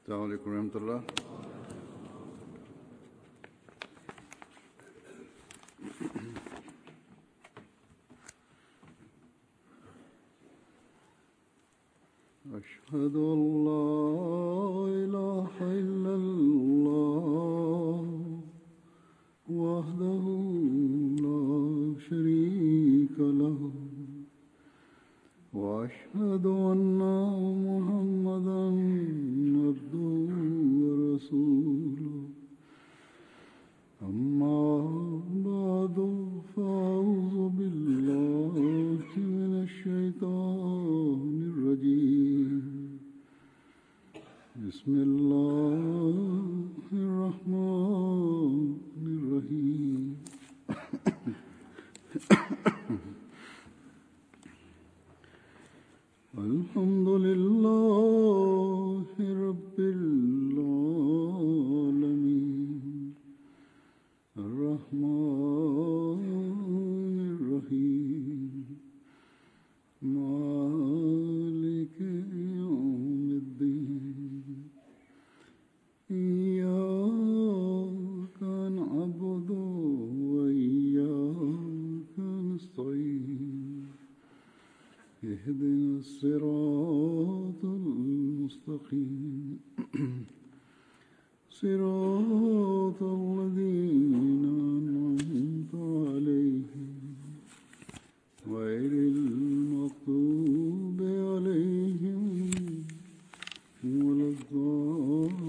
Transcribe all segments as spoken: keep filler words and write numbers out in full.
السلام علیکم ورحمۃ اللہ۔ اشهد ان لا اله الا الله وحده لا شريك له واشهد ان محمدا عبده ورسوله اما بعد فاعوذ بالله من الشيطان الرجيم بسم الله الرحمن الرحيم الحمد لله رب العالمين الرحمن الرحيم مالك يوم الدين إياك نعبد وإياك نستعين اهدنا الصراط المستقيم صراط الذين أنعمت عليهم غير المغضوب عليهم ولا الضالين.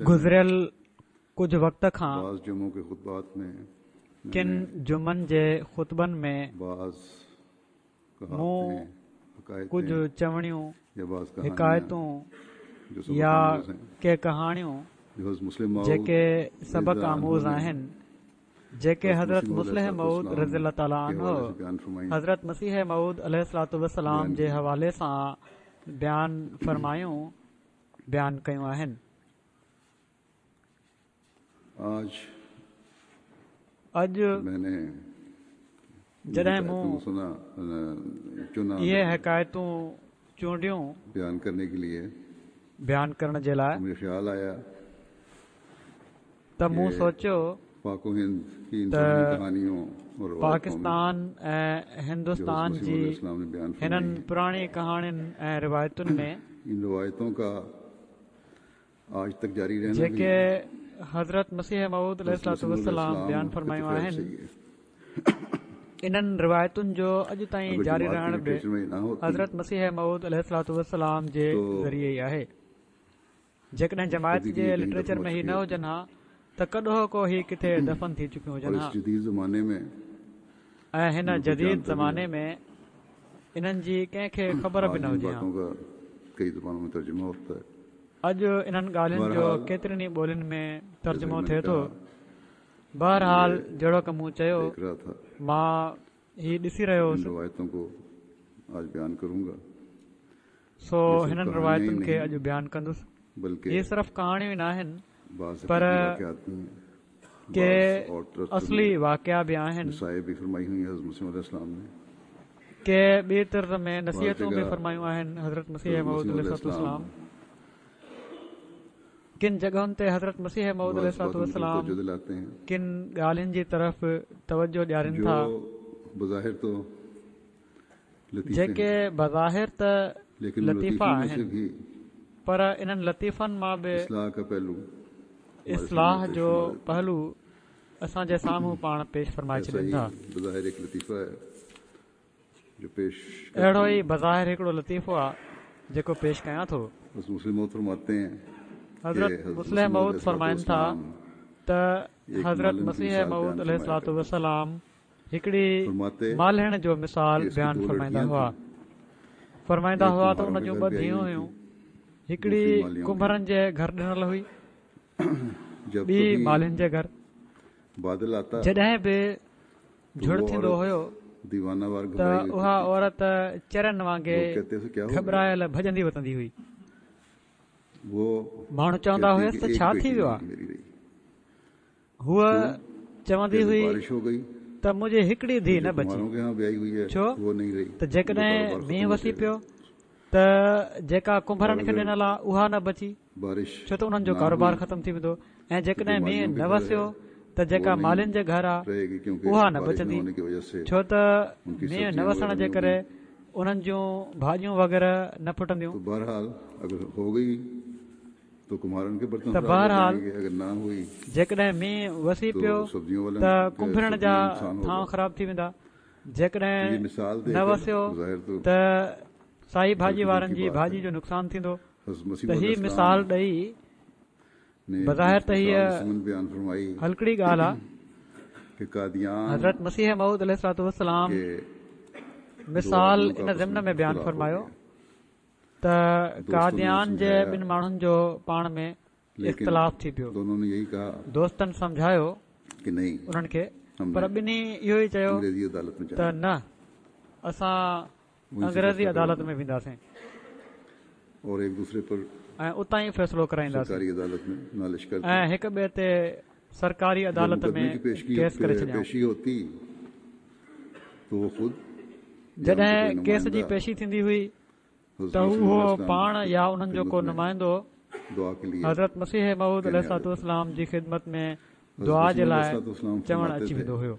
گذريل ڪجهه وقت کان ڪن جمعن جي خطبن ۾ مون ڪجهه چوڻيون، حڪايتون يا ڪي ڪهاڻيون جيڪي سبق آموز آهن، جيڪي حضرت مصلح موعود رضي الله تعاليٰ عنه حضرت مسيح موعود عليه الصلوة والسلام جي حوالي سان بيان فرمايون بيان ڪيون آهن. اڄ جڏهن مون اهي حڪايتون چونڊيون بيان ڪرڻ جي لاءِ ته مون سوچيو ته پاڪستان ۽ هندستان جي هنن پراڻي ڪهاڻين ۽ روايتن ۾ جيڪي حضرت مسيح موعود عليه الصلوة والسلام بيان فرمايون آهن، انهن روايتن جو اڄ تائين جاري رهڻ به حضرت مسيح موعود عليه الصلوة والسلام جي ذريعي ئي آهي. جيڪڏهن جماعت جي لٽريچر ۾ هي نه هجن ها ته ڪڏهوڪو هي ڪٿي دفن ٿي چڪيون هجن ها ۽ هن جديد زماني ۾ انهن جي ڪنهن کي خبر به نه هجي ها. اڄ انهن ڳالهين جو ڪيترين ئي ٻولين ۾ ترجمو ٿئي ٿو. بهرحال جهڙوڪ مون چيو، مان هي ڏسي رهيو هوس، سو هنن روايتن کي اڄ بيان ڪندس. هي صرف ڪهاڻيون ئي ناهن پر ڪي اصلي واقعا به آهن. ڪي ٻي طرز ۾ نصيحتون به فرمايون آهن حضرت مسيح موعود عليه الصلوة والسلام. ڪن جڳهن تي حضرت مسيح موعود عليه الصلوة والسلام ڪن ڳالهين جي طرف توجه ڏيارين ٿا جيڪي بظاهر ته لطيفا آهن، پر انهن لطيفن مان به اصلاح جو پهلو اسان جي سامهون پاڻ پيش فرمائي ڇڏين ٿا. اهڙو ئي بظاهر هڪڙو لطيفو آهي جيڪو پيش ڪيان ٿو. حضرت مصلح موعود فرمائن ٿا ته حضرت مسيح موعود عليه الصلوة والسلام هڪڙي مالهڻ جو مثال بيان فرمائيندا هئا. فرمائيندا هئا ته ان جون ٻه ڌيئون هيون، هڪڙي ڪنڀرن جي گهر ڏنل هئي، ٻي مالهين جي گهر. جڏهن به جهڙ ٿيندو هيو ته اها عورت چرن وانگي گهٻرايل ڀڄندي وتندي هئي. ماڻهو چوندا هئس ته ڇا ٿي ويو آهي؟ هوءَ چوندي هئي ته منهنجي هڪڙي ڌيءُ نه بچي، ڇو ته جيڪڏهن مينهن وسي پيو ته جيڪا ڪنڀرن کي ڏنل آهي اها نه بچي، ڇو ته انهن جو ڪاروبار ختم ٿي ويندو، ۽ جيڪڏهن مينهن نه وسيو ته جيڪا مالين جي گهر آهي اها نه بچندي، ڇو ته مينهن نه وسڻ جي ڪري انهن جون ڀاڄيون وغيره نه ڦٽنديون. ته بهرحال جيڪڏهن مينهن وسي پيو ته ڪنڀرن جا ٿانو خراب ٿي ويندا، جيڪڏهن نه وسيو ته سائي ڀاڄي وارن جي ڀاڄي جو نقصان ٿيندو. ته هي مثال ڏئي بظاهر ته هيءَ هلڪڙي ڳالهه آهي. حضرت مسيح موعود عليه الصلوة والسلام مثال ان ضمن ۾ بيان فرمايو ته قاديان جي ٻن ماڻهن جو پاڻ ۾ اختلاف ٿي پيو. دوستن سمجهايو انهن کي، پر ٻنهي اهو ئي چيو ته نه، اسان انگريزي عدالت ۾ وينداسين ۽ اتان ئي فيصلو ڪرائينداسين، ۽ هڪ ٻئي تي سرڪاري عدالت ۾ ڪيس ڪري ڇڏيائون. جڏهن ڪيس جي پيشي ٿيندي هئي ته اهو پاڻ يا انهن جو ڪو نمائندو حضرت مسيح موعود عليه الصلوة والسلام جي خدمت ۾ دعا جي لاءِ چوڻ اچي ويندو هيو.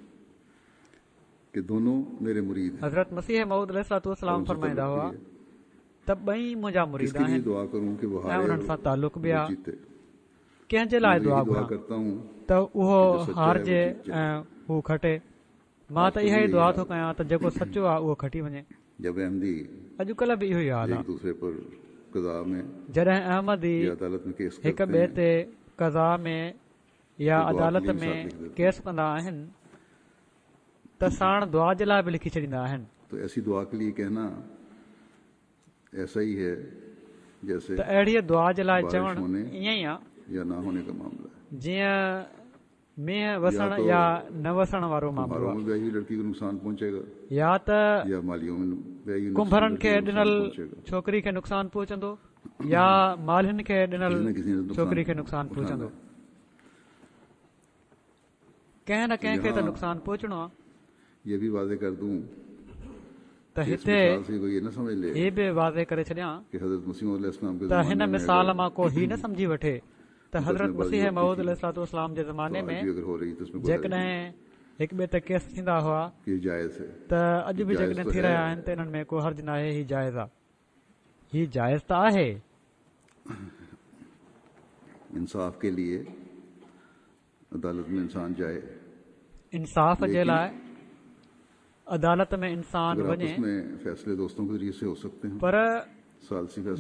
حضرت مسيح موعود عليه الصلوة والسلام فرمائيندا هئا ته ٻئي منهنجا مريد آهن ۽ انهن سان تعلق به آهي، ڪنهن جي لاءِ دعا گهران ته اهو هارجي ۽ هو کٽي؟ مان ته اها ئي دعا ٿو ڪيان ته جيڪو سچو آهي اهو کٽي وڃي. اڄڪلهه به اهو ئي حال آهي. جڏهن احمدي هڪ ٻئي تي قضا ۾ يا عدالت ۾ ڪيس ڪندا آهن ته ساڻ دعا جي لاءِ به لکي ڇڏيندا آهن. ته اهڙيءَ دعا جي لاءِ چوڻ ائين ئي آهي جيئن مينهن وسڻ يا نه وسڻ وارو معاملو آهي. يا ته ڪنڀرن کي ڏنل ڇوڪري کي نقصان پهچندو يا مالهين کي ڏنل ڇوڪري کي نقصان پهچندو. ڪنهن نه ڪنهن کي ته نقصان پهچڻو آهي. ته هتي هي به واضح ڪري ڇڏيان ته هن مثال مان ڪو هي نه سمجهي وٺي ته حضرت مسيح موعود عليه الصلوة والسلام جي زماني ۾ جيڪڏهن هڪ ٻئي تي ڪيس ٿيندا هئا ته اڄ به جيڪڏهن ٿي رهيا آهن ته انهن ۾ ڪو حرج ناهي، هي جائز آهي. هي جائز ته آهي. انصاف ڪي لئي عدالت ۾ انسان جائي، انصاف جي لاءِ عدالت ۾ انسان وڃي، پر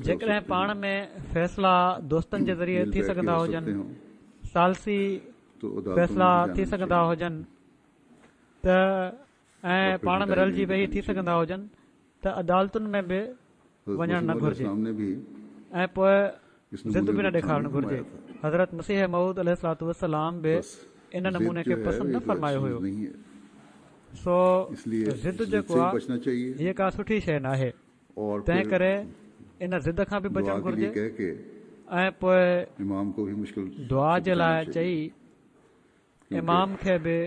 جيڪڏهن پاڻ ۾ فيصلا دوستن جي ذريعي ٿي سگهندا هجن، ثالثي فيصلا ٿي سگهندا هجن ته ۽ پاڻ ۾ رلجي ويهي ٿي سگهندا هجن ته عدالتن ۾ به وڃڻ نه گهرجي ۽ پوءِ ضد به نه ڏيکارڻ گهرجي. حضرت مسيح موعود عليه الصلوة والسلام به ان نموني کي پسند نه فرمايو هيو. سو ضد جيڪو آهي هيءَ ڪا سٺي شيءِ نه آهي، تنهن ڪري ان ضد کان به بچڻ گهرجي ۽ پوءِ دعا جي لاءِ چئي امام کي به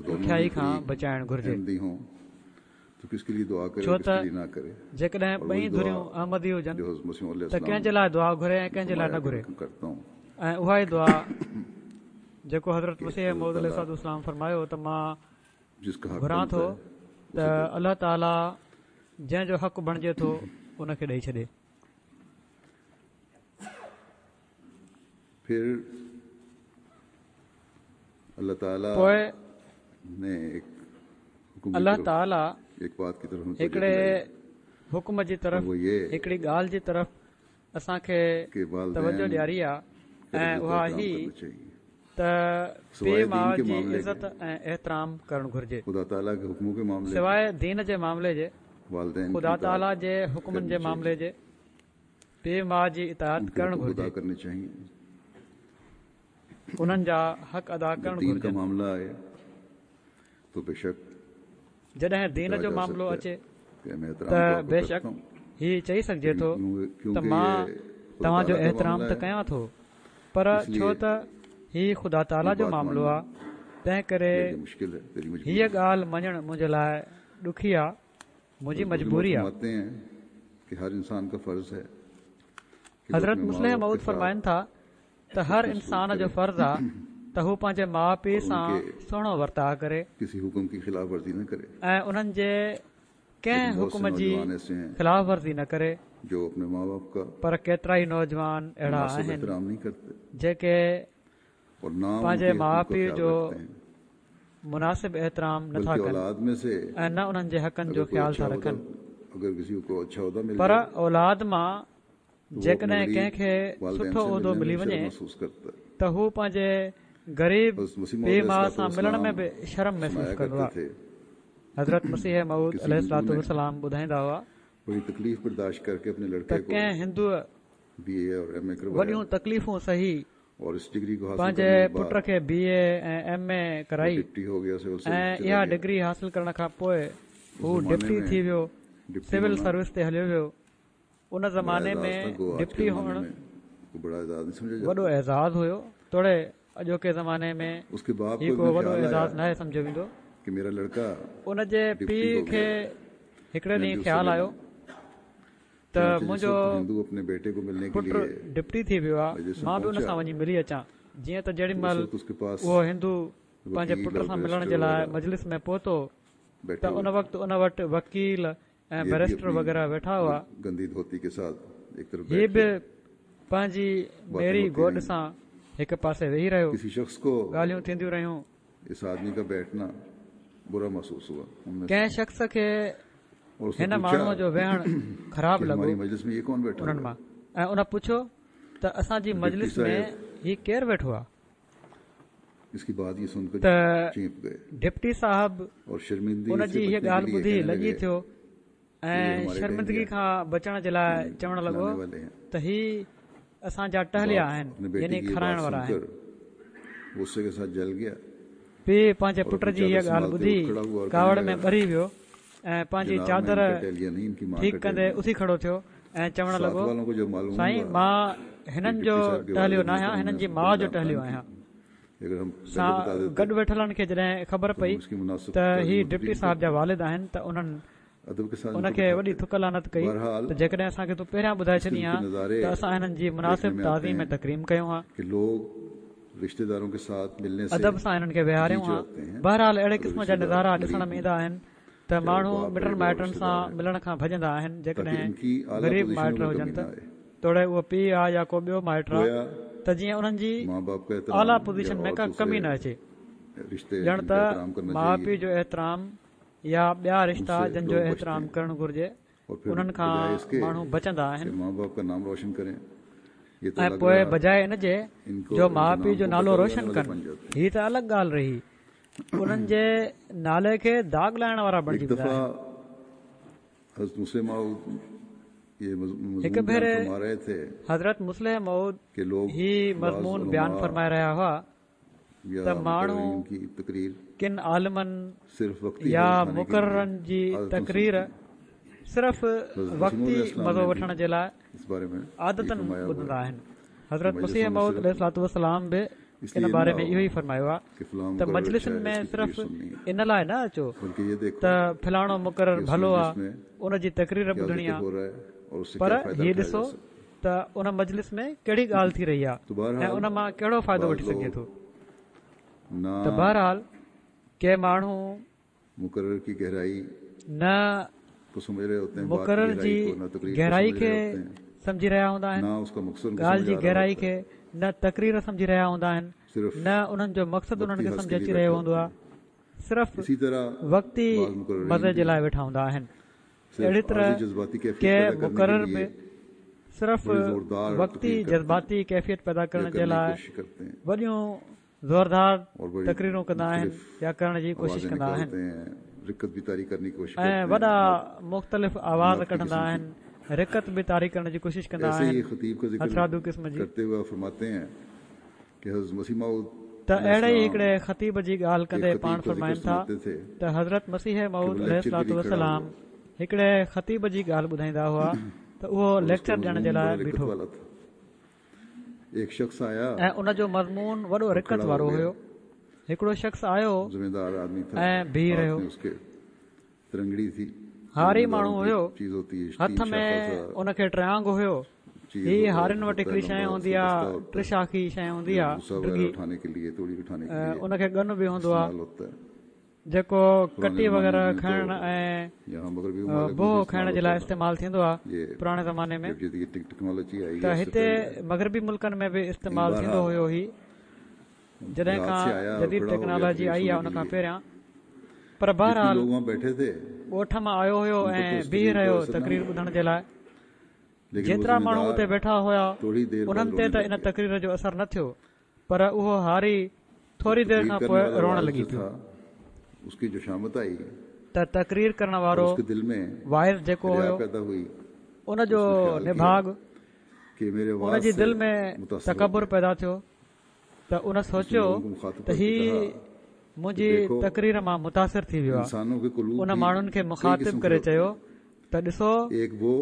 ڏکيائي کان بچائڻ گهرجي. ڇو ته جيڪڏهن ٻئي ڌريون احمدي هجن ته ڪنهن جي لاءِ دعا گهري ۽ ڪنهن جي لاءِ نه گهري. ۽ اها ئي دعا جيڪو حضرت مسيح موعود عليه الصلوة والسلام فرمايو ته مان گهران ٿو ته الله تعاليٰ جنهن جو حق بڻجي ٿو ان کي ڏيئي ڇڏي. پوءِ الله تعاليٰ هڪڙي حڪم جي طرف، هڪڙي ڳالهه جي طرف اسان کي توجهه ڏياري آهي ۽ اها هي ته پيءُ ماءُ جي عزت ۽ احترام ڪرڻ گهرجي. سواءِ دين جي معاملي جي، خدا تعاليٰ جي حڪمن جي معاملي جي پيءُ ماءُ جي اطاعت ڪرڻ گهرجي، انهن جا حق ادا ڪرڻ گهرجن. جڏهن دين جو معاملو اچي ته بيشڪ هي چئي سگهجي ٿو ته مان توهان جو احترام ته ڪيان ٿو، پر ڇو ته هي خدا تعاليٰ جو معاملو آهي، تنهن ڪري هيءَ ڳالهه مڃڻ منهنجي لاءِ ڏکي آهي، منهنجي مجبوري آهي. حضرت مصلح موعود فرمائن ٿا ته هر انسان جو فرض آهي ته هو پنهنجي ماءُ پيءُ سان سهڻو ورتاءُ ڪري ۽ انهن جي ڪنهن حڪم جي خلاف ورزي نه ڪري. پر ڪيترا ئي نوجوان اهڙا آهن جيڪي پنهنجي ماءُ پيءُ جو مناسب احترام نٿا ڪن ۽ نه انهن جي حقن جو خيال ٿا رکن. پر اولاد مان جيڪڏهن ڪنهن کي سٺو عهدو ملي وڃي ته هو پنهنجي غريب پيءُ ماءُ سان ملڻ ۾ به شرم محسوس ڪندو آهي. حضرت مسيح موعود عليه الصلوة والسلام ٻڌائيندا هئا ته ڪنهن هندوءَ وڏيون تڪليفون سهي پنهنجي پٽ کي بي اي ۽ ايم اي ڪرائي ۽ اها ڊگري حاصل ڪرڻ کان پوءِ هو ڊپٽي ٿي ويو، سول سروس تي هليو ويو. ان زماني ۾ ڊپٽي هئڻ وڏو اعزاز هيو، توڙي اڄوڪي زماني ۾ هي ڪو وڏو اعزاز ناهي سمجهيو ويندو. ان جي پيءُ کي هڪڙي ڏينهن خيال آيو ته منهنجو پٽ ڊپٽي ٿي ويو آهي، مان به ان سان وڃي ملي اچان. جيئن ته جيڏي مهل اهو هندو پنهنجي پٽ سان ملڻ جي لاءِ مجلس ۾ پهتو ته ان وقت ان وٽ وڪيل ۽ بئريسٽر وغيره ويٺا هئا. هي به پنهنجي ميري گوڏ سان هڪ پاسي ويهي رهيو. ڳالهيون ٿينديون رهيون. ڪنهن شخص کي هن ماڻهوءَ جو ويهڻ خراب لڳو انهن مان، ۽ ان پڇيو ته اسان جي مجلس ۾ هي ڪير ويٺو آهي؟ ته ڊپٽي صاحب ان جي هيءَ ڳالهه ٻڌي لڄي ٿيو ۽ شرمندگي کان بچڻ جي لاءِ چوڻ لڳو ته هي اسان جا ٽهليا آهن، يعني کارائڻ وارا آهن. پيءُ پنهنجي پٽ جي هيءَ ڳالهه ٻڌي ڪاوڙ ۾ ٻري ويو ۽ پنهنجي چادر ٺيڪ ڪندي اٿي کڙو ٿيو ۽ چوڻ لڳو، سائين مان هنن جو ٽهليو نه آهيان، هنن جي ماءُ جو ٽهليو آهيان. سان گڏ ويٺلن کي جڏهن خبر پئي ته هي ڊپٽي صاحب جا والد آهن ته انهن ان کي وڏي ٿڪ لعنت ڪئي ته جيڪڏهن اسان کي تون پهريان ٻڌائي ڇڏي ها ته اسان هنن جي مناسب تعظيم ۽ تڪريم ڪيون ها، ادب سان هنن کي ويهاريون ها. بهرحال اهڙي قسم جا نظارا ڏسڻ ۾ ايندا آهن ته ماڻهو مٽن مائٽن سان ملڻ کان ڀڄندا آهن، جيڪڏهن غريب مائٽ هجن ته، توڙي اهو پيءُ آهي يا ڪو ٻيو مائٽ آهي، ته جيئن انهن جي اعليٰ پوزيشن ۾ ڪا ڪمي نه اچي. ڄڻ ته ماءُ پيءُ جو احترام يا ٻيا رشتا جن جو احترام ڪرڻ گهرجي انهن کان ماڻهو بچندا آهن، ۽ پوءِ بجاءِ ان جي جو ماءُ پيءُ جو نالو روشن ڪن، هي ته الڳ ڳالهه رهي، انهن جي نالي کي داغ لائڻ وارا بڻجي ويندا آهن. هڪ ڀيري حضرت مصلح موعود هي مضمون بيان فرمائي رهيا هئا ته ماڻهو ڪن عالمن يا مقررن جي تقرير صرف وقتي مزو وٺڻ جي لاءِ عادتن ٻڌندا آهن. حضرت مسيح موعود عليه الصلوة والسلام به ان باري ۾ اهو ئي فرمايو آهي ته مجلسن ۾ صرف ان لاءِ نه اچو ته فلاڻو مقرر ڀلو آهي ان جي تقرير ٻڌڻي آهي، پر هي ڏسو ته ان مجلس ۾ ڪهڙي ڳالهه ٿي رهي آهي ۽ ان مان ڪهڙو فائدو وٺي سگهجي ٿو. ته بهرحال ڪي ماڻهو نه مقرر جي گهرائي کي سمجهي رهيا هوندا آهن، ڳالهه جي گهرائي کي نه تقرير سمجهي رهيا هوندا آهن، نه انهن جو مقصد انهن کي سمجهه اچي رهيو هوندو آهي، صرف وقتي مزي جي لاءِ ويٺا هوندا آهن. اهڙي طرح ڪي مقرر به صرف وقتي جذباتي ڪيفيت پيدا ڪرڻ جي لاءِ وڏيون زوردار تقريرون ڪندا آهن يا ڪرڻ جي ڪوشش ڪندا آهن ۽ وڏا مختلف آواز ڪڍندا آهن، رقت به طاري ڪرڻ جي ڪوشش ڪندا آهن هٿرادو قسم جي. ته اهڙي ئي هڪڙي خطيب جي ڳالهه ڪندي پاڻ فرمائن ٿا ته حضرت مسيح موعود عليه الصلوة والسلام هڪڙي خطيب جي ڳالهه ٻڌائيندا هئا ته اهو ليڪچر ڏيڻ جي لاءِ بيٺو ۽ ان جو مضمون وڏو رقت وارو هيو. هڪڙو شخص آيو ज़मींदार आदमी था, ۽ بيهي हाथ رهيو. में उसके तिरंगड़ी थी, هاري ज़मींदारों ماڻهو की هيو، चीज होती है, هٿ तीन ۾ शाखा सा ان کي ٽريانگ هيو. चीज هي होता है, هارين وٽ होता है هڪڙي شيء लंबा هوندي उसका آهي، बस्ता होता है, ٽشاخي شيء هوندي जो آهي भूसा वगैरह ڊگهي، उठाने के लिए, तूड़ी उठाने के ۽ लिए ان کي ڳن به هوندو آهي इस्तेमाल होता है। جيڪو पुराने ڪٽي जमाने وغيره में کڻڻ तो ۽ यहाँ मगरबी ममालिक में بوهه भी کڻڻ इस्तेमाल جي لاءِ होता था। استعمال ٿيندو آهي ये پراڻي زماني ۾. जब जदीद टेक्नोलॉजी आई ته है उससे هتي पहले مغربي ملڪن ۾ به लेकिन استعمال ٿيندو बहरहाल هيو. هي جڏهن देहात کان से आया और جديد खड़ा हो गया ٽيڪنالاجي तकरीर آئي آهي सुनने ان के کان लिए। پهريان. پر जितने بهرحال लोग वहाँ बैठे थे ڳوٺ مان آيو هيو उन पर ۽ तो उस بيهي तकरीर का رهيو असर ना تقرير हुआ، ٻڌڻ جي لاءِ. लेकिन वो جيترا ماڻهو اتي जमींदार ويٺا هئا थोड़ी देर बाद انهن تي रोने ته लग ان गया। تقرير جو اثر نه ٿيو، پر اهو هاري जो ٿوري دير तकरीर کان करने پوءِ वाला روئڻ वाइज لڳي जो پيو. था उसकी जो शामत आई ته تقرير ڪرڻ और وارو उसके दिल में واعظ جيڪو रिया هيو पैदा हुई، ان جو उसने ख्याल किया نڀاڳ कि मेरे ان वाज جي से دل ۾ मुतासर हो تڪبر गया। پيدا ٿيو ته ان उसने سوچيو लोगों को मुखातिब ته करके هي कहा कि منهنجي देखो تقرير مان متاثر ٿي ويو آهي. इंसानों के कुलूब ان भी ماڻهن کي कई مخاطب किस्म के ڪري होते چيو हैं। ته ڏسو एक वो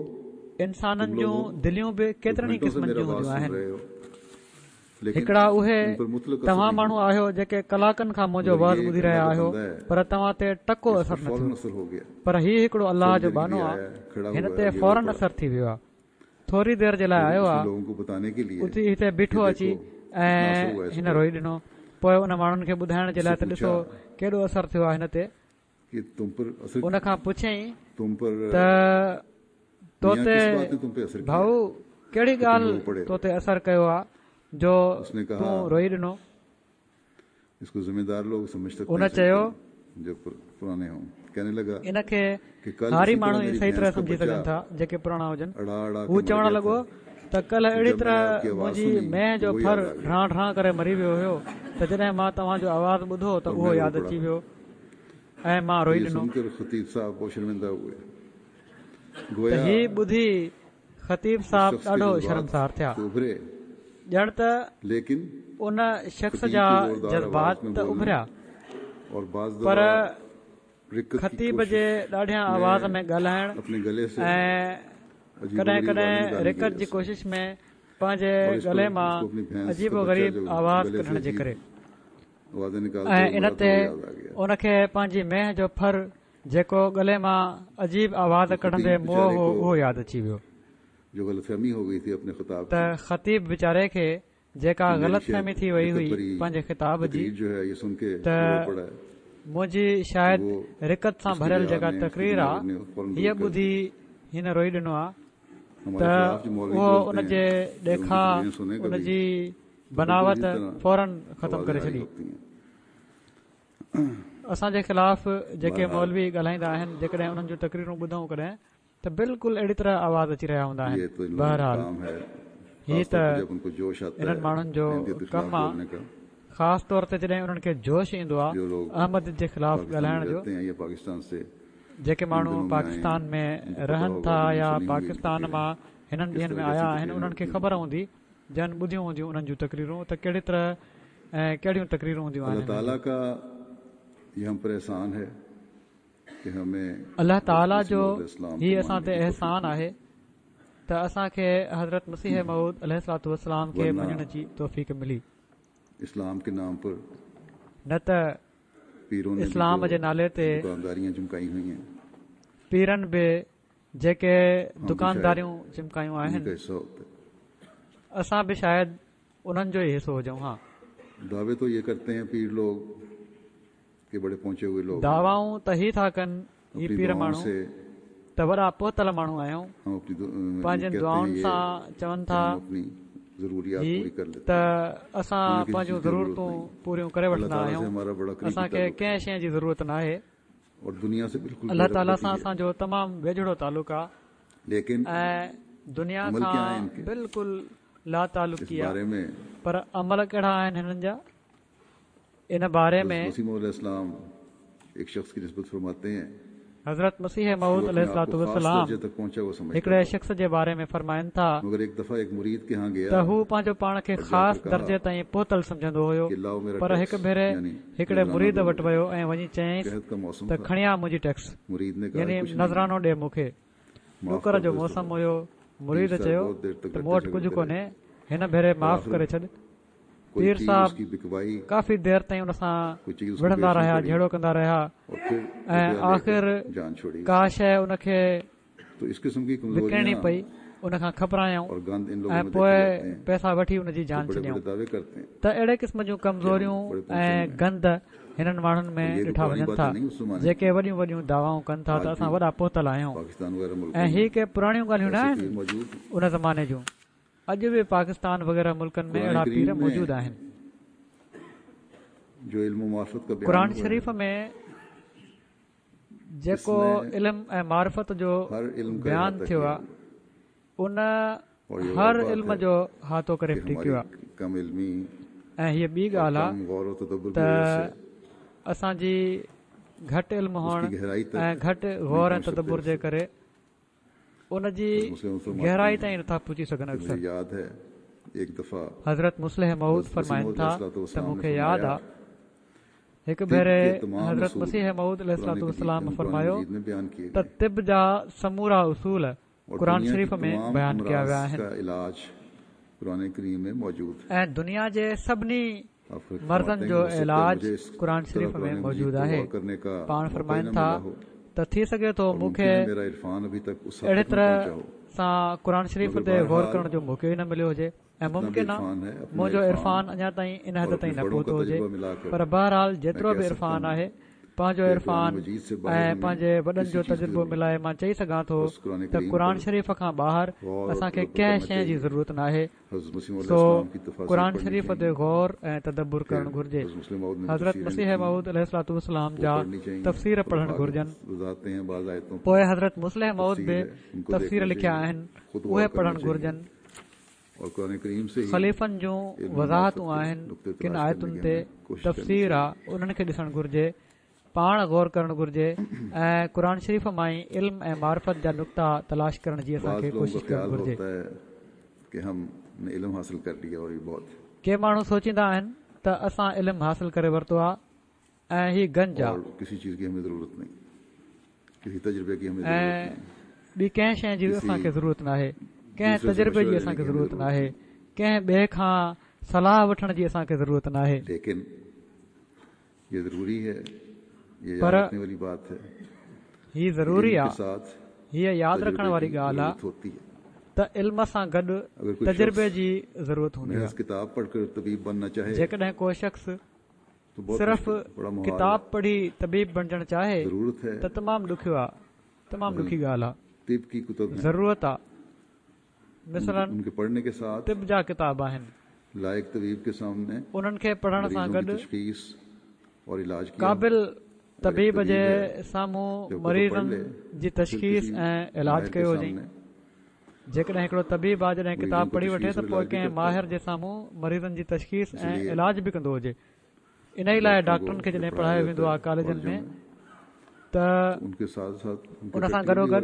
انسانن तुम लोग جون हो دليون به जो ڪيترن ئي घंटों से قسمن मेरा جون वाज هونديون सुन آهن. रहे हो، लेकिन هڪڙا اهي उन पर मुतलक असर توهان नहीं ماڻهو हुआ، آهيو جيڪي ڪلاڪن کان منهنجو मगर واز ये ٻڌي एक رهيا अल्लाह का آهيو، बंदा है، پر توهان تي ٽڪو इस اثر पर نه फौरन ٿيو. असर हो गया। پر هي هڪڙو الله थोड़ी جو देर के ٻانهو लिए آهي، आया है، खड़ा هن हुआ है تي और ये रो فورن पड़ा। اثر ٿي ويو آهي. ٿوري دير جي لاءِ फिर آيو उसने آهي، लोगों को बताने के लिए اٿي هتي कि بيٺو اچي देखो कितना असर ۽ हुआ इस هن पर، روئي ڏنو. پوءِ ان ماڻهن کي ٻڌائڻ جي उससे لاءِ ته पूछा ڏسو ڪيڏو اثر ٿيو آهي هن تي. कि तुम पर असर ان کان پڇيائين तुम पर ته تو मियाँ تي किस बात ने तुम पे असर किया ڀائو ڪهڙي कि तुम ڳالهه रो पड़े تو हो؟ تي اثر ڪيو آهي جو उसने تون कहा روئي ڏنو؟ इसको जिम्मेदार लोग समझ सकते ان हैं सही چيو तरह जो पुर, पुराने हों। कहने लगा ان کي कि कल هاري इसी तरह ماڻهو ئي मेरी صحيح طرح भैंस का سمجهي बच्चा سگهن ٿا جيڪي پراڻا هجن. अड़ा अड़ा هو के मर چوڻ गया لڳو था، ته ڪلهه اهڙي जब طرح मैंने आपकी आवाज منهنجي सुनी مينهن तो جو वो ڦر याद आ गया ڍان ڍان ڪري مري ويو هيو، ته جڏهن مان توهان جو آواز ٻڌو ته और اهو मैं रो ياد पड़ा। اچي ويو ۽ مان तो روئي ये ڏنو. सुनकर खतीब साहब बहुत शर्मिंदा हुए، ته गोया هي ٻڌي خطيب उस صاحب शख्स के ڏاڍو जज्बात شرمسار ٿيا. तो उभरे، ڄڻ ته लेकिन ان شخص खतीब جا की जोरदार आवाज جذبات में ته बोलने اڀريا، और बाज پر दफा रिक्कत की خطيب جي कोशिश ڏاڍيان آواز में ۾ ڳالهائڻ अपने गले से ۽ अजीब ڪڏهن गरीब आवाजें ڪڏهن निकालने की رقت वजह جي से ڪوشش ۾ پنهنجي और इस ڳلي पर مان उसको अपनी भैंस عجيب का و बच्चा غريب जो آواز गले से ڪڍڻ جي अजीब ڪري आवाजें निकालते ۽ हुए ان मरा था تي वो याद आ गया। ان کي پنهنجي مينهن جو ڦر جيڪو ڳلي مان عجيب آواز तो ڪڍندي खतीब موئو बेचारे هو को اهو ياد اچي ويو. जो गलतफहमी हो गई थी अपने खिताब ته की خطيب ويچاري کي جيڪا कि मेरी غلط शायद فهمي ٿي وئي रिक्कत هئي भरी پنهنجي خطاب جي तकरीर जो है ये सुन के ته रो पड़ा है، منهنجي شايد वो رقت سان उसकी ڀريل रिया جيڪا ने उसकी تقرير दिमाग آهي ने फौरन هيءَ दूर कर ٻڌي दी। هن روئي ڏنو آهي. हमारे ته खिलाफ जो मौलवी اهو बोलते ان हैं جي जब उनकी ڏيکاءُ तकरीरें सुने ان कभी جي तो बिल्कुल بناوت इसी तरह فورن ختم आवाजें ڪري आ रही ڇڏي. होती हैं। اسان جي خلاف جيڪي बहरहाल مولوي ڳالهائيندا آهن جيڪڏهن انهن جون تقريرون ٻڌون ڪڏهن ته بلڪل اهڙي طرح آواز اچي رهيا هوندا آهن. ये तो इन लोगों का بهرحال काम है، هي खास ته तौर पर जब उनको जोश आता انهن है ماڻهن جو अहमदियत के ڪم खिलाफ آهي، बोलने का، خاص طور تي جڏهن انهن کي جوش ايندو آهي जो लोग احمد جي خلاف पाकिस्तान में ڳالهائڻ جو. रहते हैं या पाकिस्तान से جيڪي इन ماڻهو दिनों में आए हैं پاڪستان ۾ उनको पता رهن होगा ٿا जिन्होंने يا सुनी होंगी پاڪستان तकरीरें مان هنن किस ڏينهن ۾ तरह آيا कैसी آهن तकरीरें انهن کي होती हैं। خبر هوندي جن ٻڌيون هونديون انهن جون تقريرون ته ڪهڙي طرح ۽ ڪهڙيون تقريرون هونديون آهن अल्लाह هنن ताला جون. का ये हम पर एहसान है कि हमें الله हज़रत تعاليٰ मसीह جو मौऊद अलैहिस्सलाम هي को اسان मानने تي की तौफीक احسان दी، آهي ته اسان کي حضرت مسيح موعود عليه الصلوة والسلام کي वरना مڃڻ جي توفيق ملي. इस्लाम के नाम पर نه ته पीरों ने भी اسلام जो جي نالي تي दुकानदारियां चमकाई हुई हैं پيرن به جيڪي हम भी शायद دڪانداريون چمڪايون उन्हीं آهن का हिस्सा होते। اسان به شايد انهن جو ئي حصو هجون ها. दावे तो ये करते हैं पीर लोग कि बड़े पहुंचे हुए लोग हैं، دعوائون ته هي ٿا ڪن هي अपनी پير दुआओं ماڻهو से ته وڏا پهتل ماڻهو آهيون، हम अपनी दु- अ, ये پنهنجن कहते हैं دعائن ये سان چون कि ٿا हम अपनी ज़रूरियात هي पूरी कर लेते ته हैं، اسان हमें किसी پنهنجون चीज़ की ज़रूरत ضرورتون नहीं، پوريون ڪري अल्लाह وٺندا ताला से آهيون، हमारा बड़ा करीबी اسان کي ताल्लुक है ڪنهن شيءِ جي ضرورت ناهي. और दुनिया से बिल्कुल الله تعاليٰ बेरग़बती سان है، اسان جو تمام ويجهڙو تعلق آهي लेकिन ۽ دنيا अमल क्या है کان इनके بلڪل لا इस تعلقي آهي. बारे में پر عمل ڪهڙا آهن هنن جا ان باري हज़रत ۾ मसीह मौऊद अलैहिस्सलाम एक शख्स की निस्बत फरमाते हैं حضرت مسيح कि वो موعود अपने عليه आप الصلوة को खास والسلام दर्जे तक पहुंचा हुआ समझता هڪڙي था، شخص جي باري ۾ فرمائن ٿا मगर एक दफा एक मुरीद के यहाँ ته गया هو پنهنجو پاڻ کي और जाकर خاص कहा درجي تائين پهتل سمجهندو هيو، कि लाओ मेरा پر टैक्स هڪ ڀيري यानी هڪڙي नजराना مريد दो وٽ मुझे। ويو ۽ وڃي چيائينس कहत का मौसम ته था، کڻي آ منهنجي ٽيڪس मुरीद ने कहा يعني कुछ नहीं है، نذرانو ڏي مون کي. माफ ڏڪر कर جو दो इस موسم दफा। هيو. पीर مريد साहब چيو बहुत देर तक ته लड़ते مون وٽ ڪجهه झगड़ते रहे ڪونهي، هن ڀيري और معاف आखिर ڪري ڇڏ. پير صاحب ڪافي دير تائين ان سان وڙهندا رهيا، جهيڙو ڪندا رهيا ۽ آخر ڪا شيءِ ان کي وڪڻڻي پئي، ان کان کپرايائون ۽ پوءِ پئسا وٺي ان جي جان ڇڏيائون. ته اهڙي قسم جون ڪمزوريون ۽ گند هنن ماڻهن ۾ ڏٺا وڃن ٿا جيڪي وڏيون وڏيون دعوائون ڪن ٿا ته اسان وڏا پهتل آهيون. ۽ هي ڪي پراڻيون ڳالهيون نه آهن ان زماني جون، اڄ به پاڪستان وغيره ملڪن ۾ اهڙا پير موجود آهن. قرآن شريف ۾ جيڪو علم ۽ معرفت جو بيان ٿيو آهي ان هر علم جو احاطو ڪري ڦٽي ڪيو آهي. ۽ هيءَ ٻي ڳالهه آهي ته اسان جي گهٽ علم هئڻ ۽ گهٽ غور ۽ تدبر جي ڪري ان جي گهرائي تائين نٿا پهچي سگهن. اڪثر حضرت مصلح موعود فرمائن ٿا ته مون کي ياد آهي هڪ ڀيري حضرت مسيح موعود عليه الصلوة والسلام فرمايو ته طب جا سمورا اصول قرآن شريف ۾ بيان ڪيا ويا آهن ۽ دنيا جي سڀني مرضن جو علاج قرآن شريف ۾ موجود آهي. پاڻ فرمائن ٿا ته ٿي سگهي ٿو مون کي اهڙي طرح سان قرآن شريف تي غور ڪرڻ جو موقعو ئي نه مليو هجي ۽ ممڪن آهي منهنجو عرفان اڃا تائين ان حد تائين نه پهتو هجي، پر بهرحال جيترو به عرفان آهي پنهنجو عرفان ۽ پنهنجي وڏن جو تجربو ملائي مان چئي سگهان ٿو ته قرآن شريف کان ٻاهر اسان کي ڪنهن شيءِ جي ضرورت ناهي. سو قرآن شريف تي غور ۽ تدبر ڪرڻ گهرجي. حضرت مسيح موعود عليه الصلوة والسلام جا تفسير پڙهڻ گهرجن. پوءِ حضرت مصلح موعود به تفسير لکيا آهن، اهي پڙهڻ گهرجن. خليفن جون وضاحتون آهن ڪن آيتن تي، تفسير آهي، انهن کي ڏسڻ گهرجي، پاڻ غور ڪرڻ گهرجي ۽ قرآن شريف مان ئي علم ۽ معرفت جا نقطا تلاش ڪرڻ جي اسان کي ڪوشش ڪرڻ گهرجي. ڪي ماڻهو سوچيندا آهن ته اسان علم حاصل ڪري ورتو آهي ۽ هي گنج آهي ۽ ٻي ڪنهن شيءِ جي اسان کي ضرورت ناهي، ڪنهن تجربي جي اسان کي ضرورت ناهي، ڪنهن ٻئي کان صلاح وٺڻ جي اسان کي ضرورت ناهي. پر هي ضروري آهي، هيءَ ياد رکڻ واري ڳالهه آهي ته علم سان گڏ تجربي جي ضرورت هوندي آهي. جيڪڏهن ڪو شخص صرف ڪتاب پڙهي طبيب بڻجڻ چاهي ته تمام ڏکيو آهي، تمام ڏکي ڳالهه آهي. ضرورت آهي، مثلاً طب جا ڪتاب آهن، انهن کي پڙهڻ سان گڏ قابل طبيب جي سامهون مريضن جي تشخيص ۽ علاج ڪيو وڃي. جيڪڏهن هڪڙو طبيب آهي، جڏهن ڪتاب پڙهي وٺي ته پوءِ ڪنهن ماهر جي سامهون مريضن جي تشخيص ۽ علاج به ڪندو هجي. ان ئي لاءِ ڊاڪٽرن کي جڏهن پڙهايو ويندو آهي ڪاليجن ۾ ته ان سان گڏوگڏ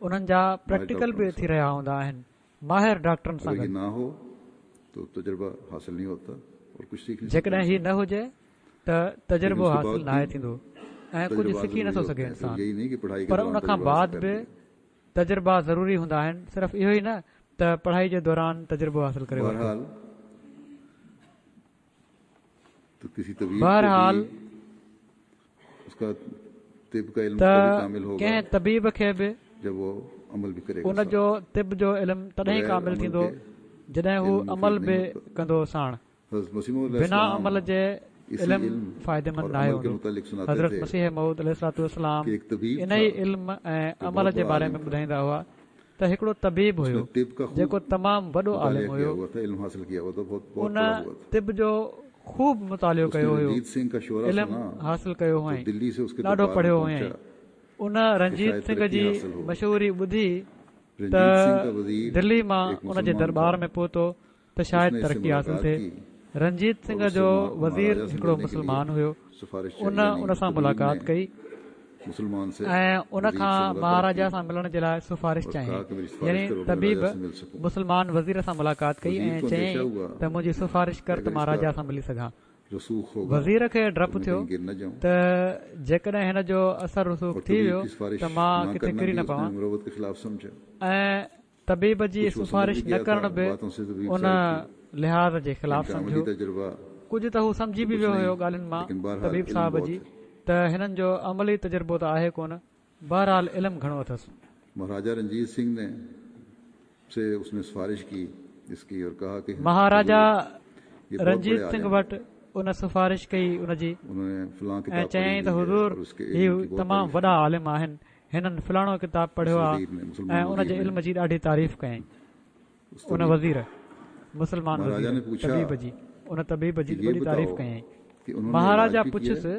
انهن جا پريڪٽيڪل به ٿي رهيا هوندا آهن ماهر ڊاڪٽرن سان گڏ. جيڪڏهن هي نه هجي ته تجربو حاصل ناهي ٿيندو ۽ ڪجهه سکي نٿو سگهي انسان. پر ان کان بعد به تجربا ضروري هوندا آهن، صرف اهو ئي نه ته پڙهائي جي دوران تجربو حاصل ڪري ورتو. بهرحال ته ڪنهن طبيب کي به ان جو طب جو علم تڏهن ڪامل ٿيندو جڏهن هو عمل به ڪندو ساڻ. بنا عمل جي علم فائديمند ناهي هوندو. حضرت مسيح موعود عليه الصلوة والسلام ان ئي علم ۽ عمل جي باري ۾ ٻڌائيندا هئا ته هڪڙو طبيب هيو جيڪو تمام وڏو عالم هيو، ان طب جو خوب مطالعو ڪيو هيو، علم حاصل ڪيو هئائين، ڏاڍو پڙهيو هئائين. ان رنجيت سنگهه جي مشهوري ٻڌي ته دلي مان ان جي درٻار ۾ پهتو ته شايد ترقي حاصل ٿئي. رنجيت سنگهه جو وزير هڪڙو مسلمان هيو، ان ان سان ملاقات ڪئي ۽ ان کان مهاراجا سان ملڻ جي لاءِ سفارش چاهيائين. يعني طبيب مسلمان وزير سان ملاقات ڪئي ۽ چيائين ته منهنجي سفارش ڪر ته مهاراجا سان ملي سگهان. وزير کي ڊپ ٿيو ته جيڪڏهن هن جو اثر رسوخ ٿي ويو ته مان ڪٿي ڪري نه پوان، ۽ طبيب جي سفارش نه ڪرڻ به ان لحاظ جي خلاف इनका अमली सम्झियो। तजुर्बा कुझु त हू सम्झी बि कुझु वियो नहीं, हुयो ॻाल्हियुनि मां लेकिन बहरहाल तबीब इल्म साहब बहुत जी है। त हिननि जो अमली तजुर्बो त आहे कोन, बहरहाल इल्मु घणो अथसि। महाराजा रंजीत सिंह ने से उसने सिफारिश की इसकी और कहा कि महाराजा ये बहुत रंजीत बड़े सिंह आलिम हैं। वटि उन सिफारिश कई उनजी उन्होंने फलां ऐं किताब पढ़ी चयईं त हुई है हुज़ूर और उसके ही इल्म की बहुत तमामु तारीफ वॾा आलिम आहिनि, हिननि फलाणो किताब उस पढ़ियो आहे वजीर ने, ऐं मुसलमान उन जे वजीर ने इल्म जी ॾाढी तारीफ़ कयईं। उस उन तबीब वज़ीर मुसलमान महाराजा वज़ीर ने पूछा तबीब जी उन तबीब जी कि ये वॾी तारीफ़ बताओ कयईं। कि उन्होंने इलाज महाराजा भी किया है, पुछियुसि